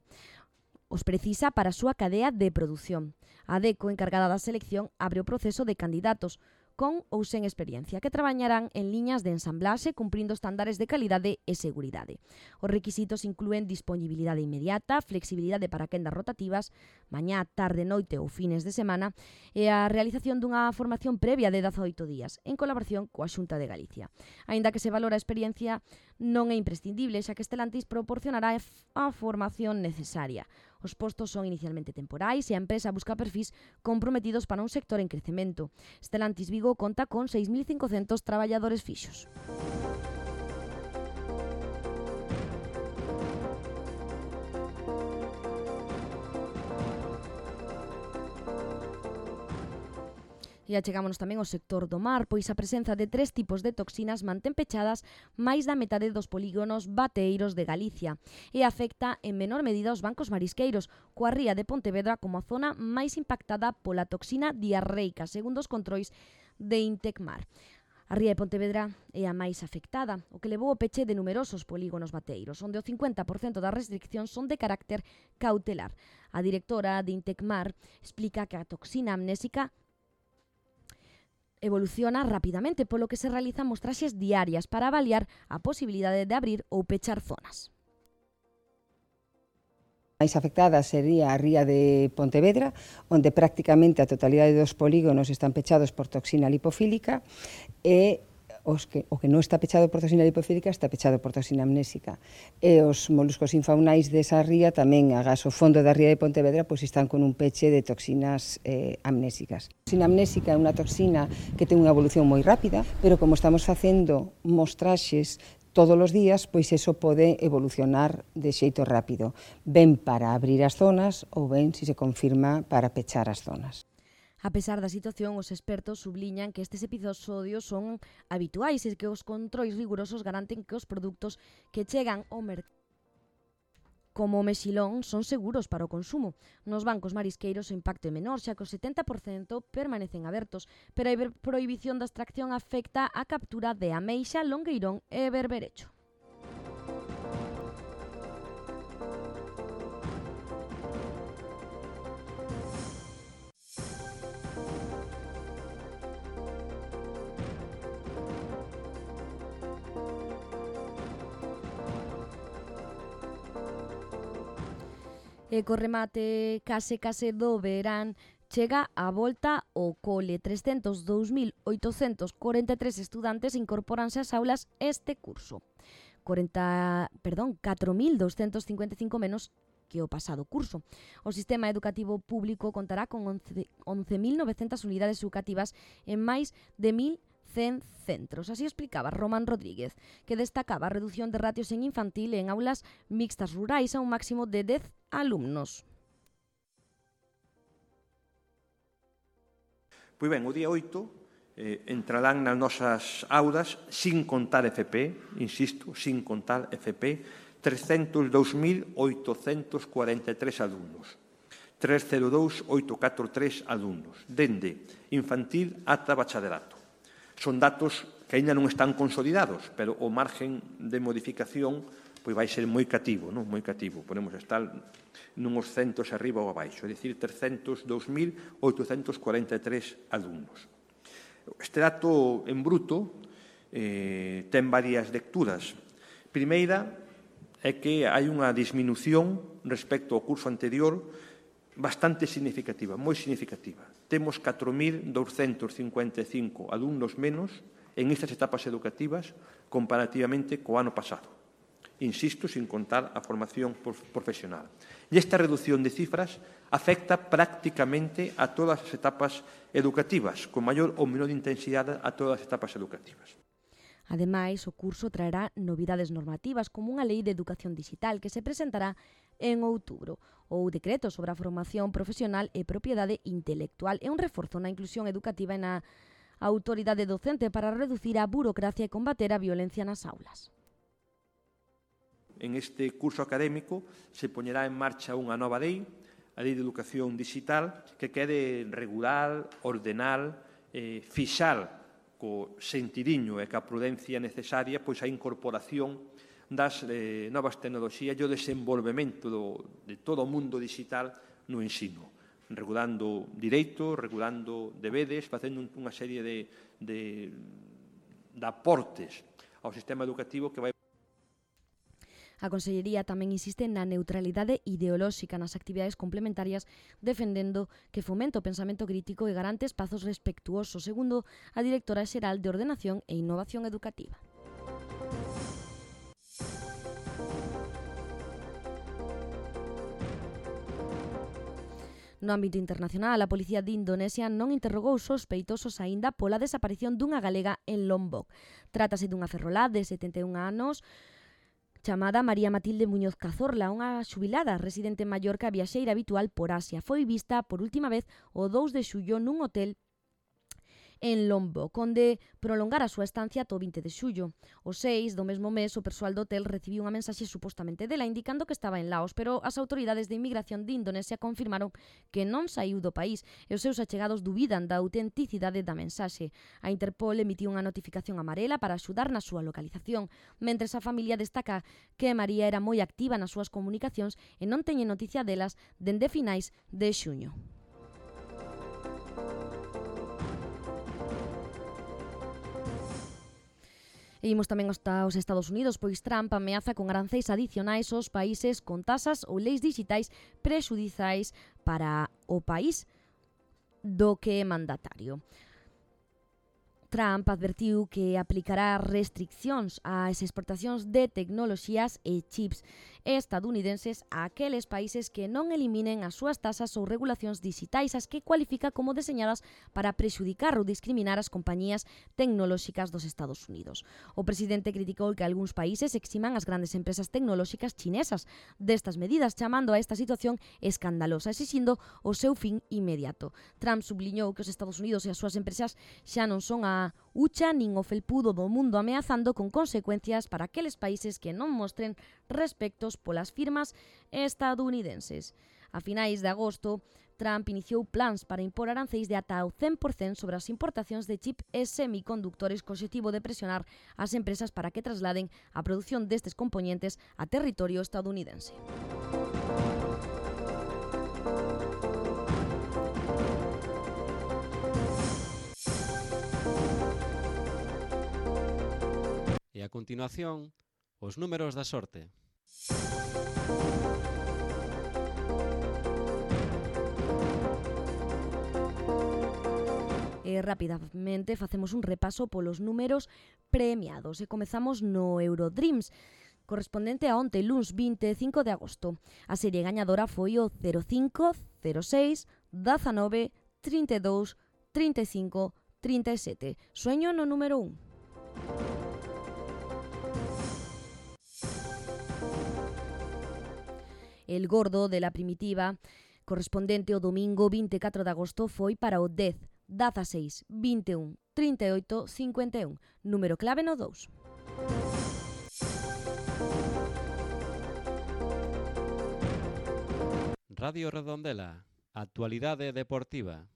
os precisa para a súa cadea de produción. A DECO, encargada da selección, abre o proceso de candidatos con ou sen experiencia, que traballarán en liñas de ensamblaxe cumprindo estándares de calidade e seguridade. Os requisitos inclúen disponibilidade inmediata, flexibilidade para quendas rotativas, mañá, tarde, noite ou fines de semana e a realización dunha formación previa de dezaoito días, en colaboración coa Xunta de Galicia. Aínda que se valora a experiencia, non é imprescindible, xa que Stellantis proporcionará a formación necesaria. Os postos son inicialmente temporais e a empresa busca perfis comprometidos para un sector en crecemento. Stellantis Vigo conta con seis mil cincocentos traballadores fixos. E achegámonos tamén ao sector do mar, pois a presenza de tres tipos de toxinas mantén pechadas máis da metade dos polígonos bateiros de Galicia e afecta en menor medida os bancos marisqueiros, coa ría de Pontevedra como a zona máis impactada pola toxina diarreica, segundo os controis de Intecmar. A ría de Pontevedra é a máis afectada, o que levou o peche de numerosos polígonos bateiros, onde o cincuenta por cento das restriccións son de carácter cautelar. A directora de Intecmar explica que a toxina amnésica evoluciona rapidamente, polo que se realizan mostraxes diarias para avaliar a posibilidade de abrir ou pechar zonas. A máis afectada sería a ría de Pontevedra, onde prácticamente a totalidade dos polígonos están pechados por toxina lipofílica e os que, o que non está pechado por toxina lipofílica está pechado por toxina amnésica. E os moluscos infaunais desa ría tamén, agás o fondo da ría de Pontevedra, pois están con un peche de toxinas eh, amnésicas. A toxina amnésica é unha toxina que ten unha evolución moi rápida, pero como estamos facendo mostraxes todos os días, pois eso pode evolucionar de xeito rápido, ben para abrir as zonas ou ben, se se confirma, para pechar as zonas. A pesar da situación, os expertos subliñan que estes episodios son habituais e que os controis rigurosos garanten que os produtos que chegan ao mercado como o mexilón son seguros para o consumo. Nos bancos marisqueiros o impacto é menor, xa que o setenta por cento permanecen abertos, pero a prohibición da extracción afecta a captura de ameixa, longueirón e berberecho. E co remate case case do verán chega a volta ao cole. trescentos e dous mil oitocentos corenta e tres estudantes incorporanse ás aulas este curso. cuarenta, perdón, catro mil douscentos cincuenta e cinco menos que o pasado curso. O sistema educativo público contará con once mil novecentas unidades educativas en máis de mil cen centros. Así explicaba Román Rodríguez, que destacaba a reducción de ratios en infantil e en aulas mixtas rurais a un máximo de dez alumnos. Pois ben, o día oito eh, entrarán nas nosas aulas, sin contar F P, insisto, sin contar F P, trescentos e dous mil oitocentos cuarenta e tres alumnos. trescentos dous mil oitocentos catro e tres alumnos, dende infantil ata bachaderato. Son datos que aínda non están consolidados, pero o margen de modificación pois vai ser moi cativo, non? Moi cativo. Podemos estar nuns centos arriba ou abaixo, é dicir, trescentos e dous mil oitocentos cuarenta e tres alumnos. Este dato en bruto eh, ten varias lecturas. Primeira é que hai unha disminución respecto ao curso anterior bastante significativa, moi significativa. Temos catro mil douscentos cincuenta e cinco alumnos menos en estas etapas educativas comparativamente co ano pasado. Insisto, sin contar a formación profesional. E esta reducción de cifras afecta prácticamente a todas as etapas educativas, con maior ou menor intensidade a todas as etapas educativas. Ademais, o curso traerá novidades normativas como unha lei de educación digital que se presentará en outubro, ou decreto sobre a formación profesional e propiedade intelectual e un reforzo na inclusión educativa e na autoridade docente para reducir a burocracia e combater a violencia nas aulas. En este curso académico se poñerá en marcha unha nova lei, a Lei de Educación Digital, que quere regular, ordenar, eh, fixar co sentidiño e ca prudencia necesaria pois a incorporación das eh, novas tecnoloxías e o desenvolvemento do, de todo o mundo digital no ensino, regulando direitos, regulando deberes, facendo unha serie de, de, de aportes ao sistema educativo que vai. A Consellería tamén insiste na neutralidade ideolóxica nas actividades complementarias, defendendo que fomenta o pensamento crítico e garante espazos respectuosos, segundo a directora xeral de Ordenación e Innovación Educativa. No ámbito internacional, a Policía de Indonesia non interrogou sospeitosos aínda pola desaparición dunha galega en Lombok. Trátase dunha ferrolá de setenta e un anos chamada María Matilde Muñoz Cazorla, unha xubilada residente en Mallorca e viaxeira habitual por Asia. Foi vista por última vez o dous de xullo nun hotel en Lombok, onde prolongara a súa estancia ata o vinte de xullo. O seis do mesmo mes, o persoal do hotel recibiu unha mensaxe supostamente dela indicando que estaba en Laos, pero as autoridades de inmigración de Indonesia confirmaron que non saiu do país e os seus achegados dubidan da autenticidade da mensaxe. A Interpol emitiu unha notificación amarela para axudar na súa localización, mentres a familia destaca que María era moi activa nas súas comunicacións e non teñe noticia delas dende finais de xuño. E imos tamén aos Estados Unidos, pois Trump ameaza con aranceis adicionais aos países con tasas ou leis digitais prexudiciais para o país do que é mandatario. Trump advertiu que aplicará restriccións ás exportacións de tecnoloxías e chips estadounidenses a aqueles países que non eliminen as súas tasas ou regulacións digitais, as que cualifica como deseñadas para prexudicar ou discriminar as compañías tecnolóxicas dos Estados Unidos. O presidente criticou que algúns países eximan as grandes empresas tecnolóxicas chinesas destas medidas, chamando a esta situación escandalosa, exixindo o seu fin inmediato. Trump subliñou que os Estados Unidos e as súas empresas xa non son a ucha nin o felpudo do mundo, ameazando con consecuencias para aqueles países que non mostren respectos polas firmas estadounidenses. A finais de agosto, Trump iniciou plans para impor aranceis de ata o cen por cento sobre as importacións de chip e semicondutores co obxectivo de presionar as empresas para que trasladen a produción destes componentes a territorio estadounidense. E a continuación, os números da sorte. E rapidamente facemos un repaso polos números premiados e comezamos no Eurodreams, correspondente a onte, luns vinte e cinco de agosto. A serie gañadora foi o cero cinco, cero seis, dezanove, trinta e dous, trinta e cinco, trinta e sete. Sueño no número un. El gordo de la primitiva, correspondente ao domingo vinte e catro de agosto, foi para o dez, dezaseis, vinte e un, trinta e oito, cincuenta e un. Número clave no dous. Radio Redondela, actualidade deportiva.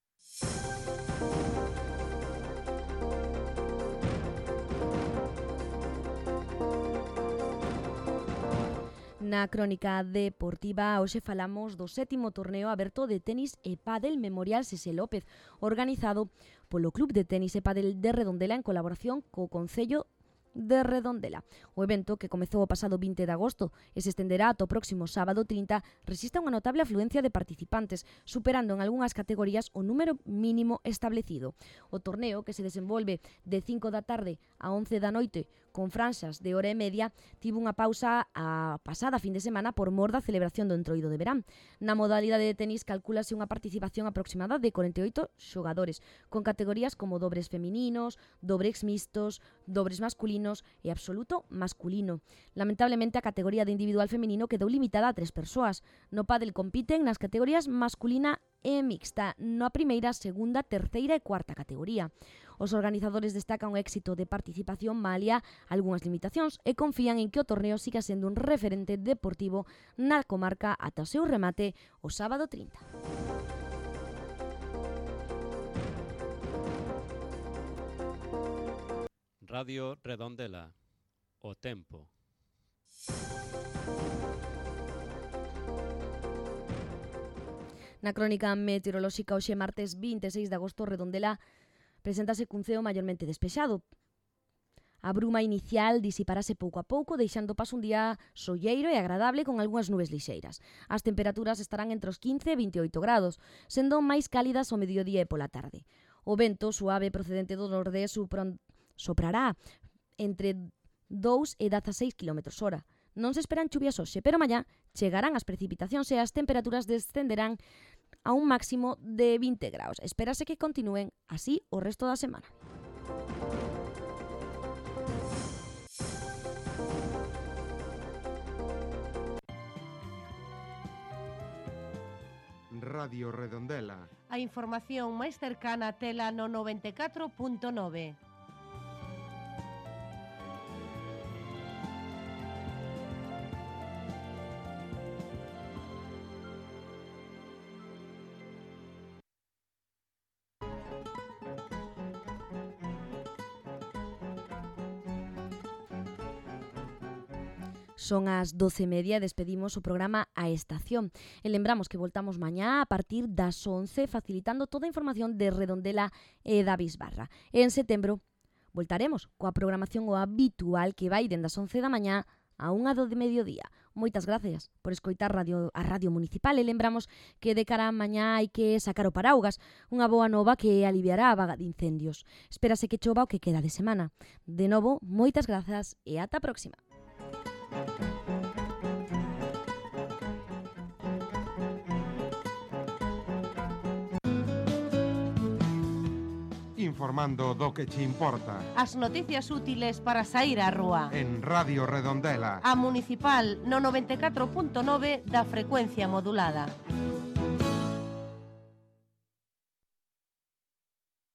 Na crónica deportiva hoxe falamos do sétimo torneo aberto de tenis e pádel Memorial Sese López, organizado polo Club de Tenis e Pádel de Redondela en colaboración co Concello de Redondela. O evento, que comezou o pasado vinte de agosto e se estenderá ata o próximo sábado trinta, resiste unha notable afluencia de participantes, superando en algunhas categorías o número mínimo establecido. O torneo, que se desenvolve de cinco da tarde a once da noite, con franxas de hora e media, tivo unha pausa a pasada fin de semana por mor da celebración do entroido de verán. Na modalidade de tenis calcúlase unha participación aproximada de corenta e oito xogadores, con categorías como dobres femininos, dobres mixtos, dobres masculinos e absoluto masculino. Lamentablemente, a categoría de individual feminino quedou limitada a tres persoas. No pádel compiten nas categorías masculina e mixta, na primeira, segunda, terceira e cuarta categoría. Os organizadores destacan o éxito de participación malia algunhas limitacións e confían en que o torneo siga sendo un referente deportivo na comarca ata o seu remate o sábado trinta. Radio Redondela, o tempo. Na crónica meteorolóxica hoxe martes vinte e seis de agosto, Redondela preséntase cun ceo maiormente despexado. A bruma inicial disiparase pouco a pouco, deixando paso un día solleiro e agradable con algunhas nubes lixeiras. As temperaturas estarán entre os quince e veintioito grados, sendo máis cálidas ao mediodía e pola tarde. O vento suave procedente do nordés soprará entre dous e dezaseis quilómetros hora. Non se esperan chuvias hoxe, pero mañá chegarán as precipitacións e as temperaturas descenderán a un máximo de vinte graus. Espérase que continúen así o resto da semana. Radio Redondela. A información máis cercana tela no noventa e catro punto nove. Son as doce e media e despedimos o programa A Estación. E lembramos que voltamos mañá a partir das once, facilitando toda a información de Redondela e da Bisbarra. E en setembro voltaremos coa programación o habitual que vai dende as once da mañá a unha do de mediodía. Moitas gracias por escoitar radio, a Radio Municipal e lembramos que de cara a mañá hai que sacar o paraugas, unha boa nova que aliviará a vaga de incendios. Espérase que chova o que queda de semana. De novo, moitas grazas e ata a próxima. Informando do que che importa. As noticias útiles para sair á rúa. En Radio Redondela. A Municipal no noventa e catro punto nove da frecuencia modulada.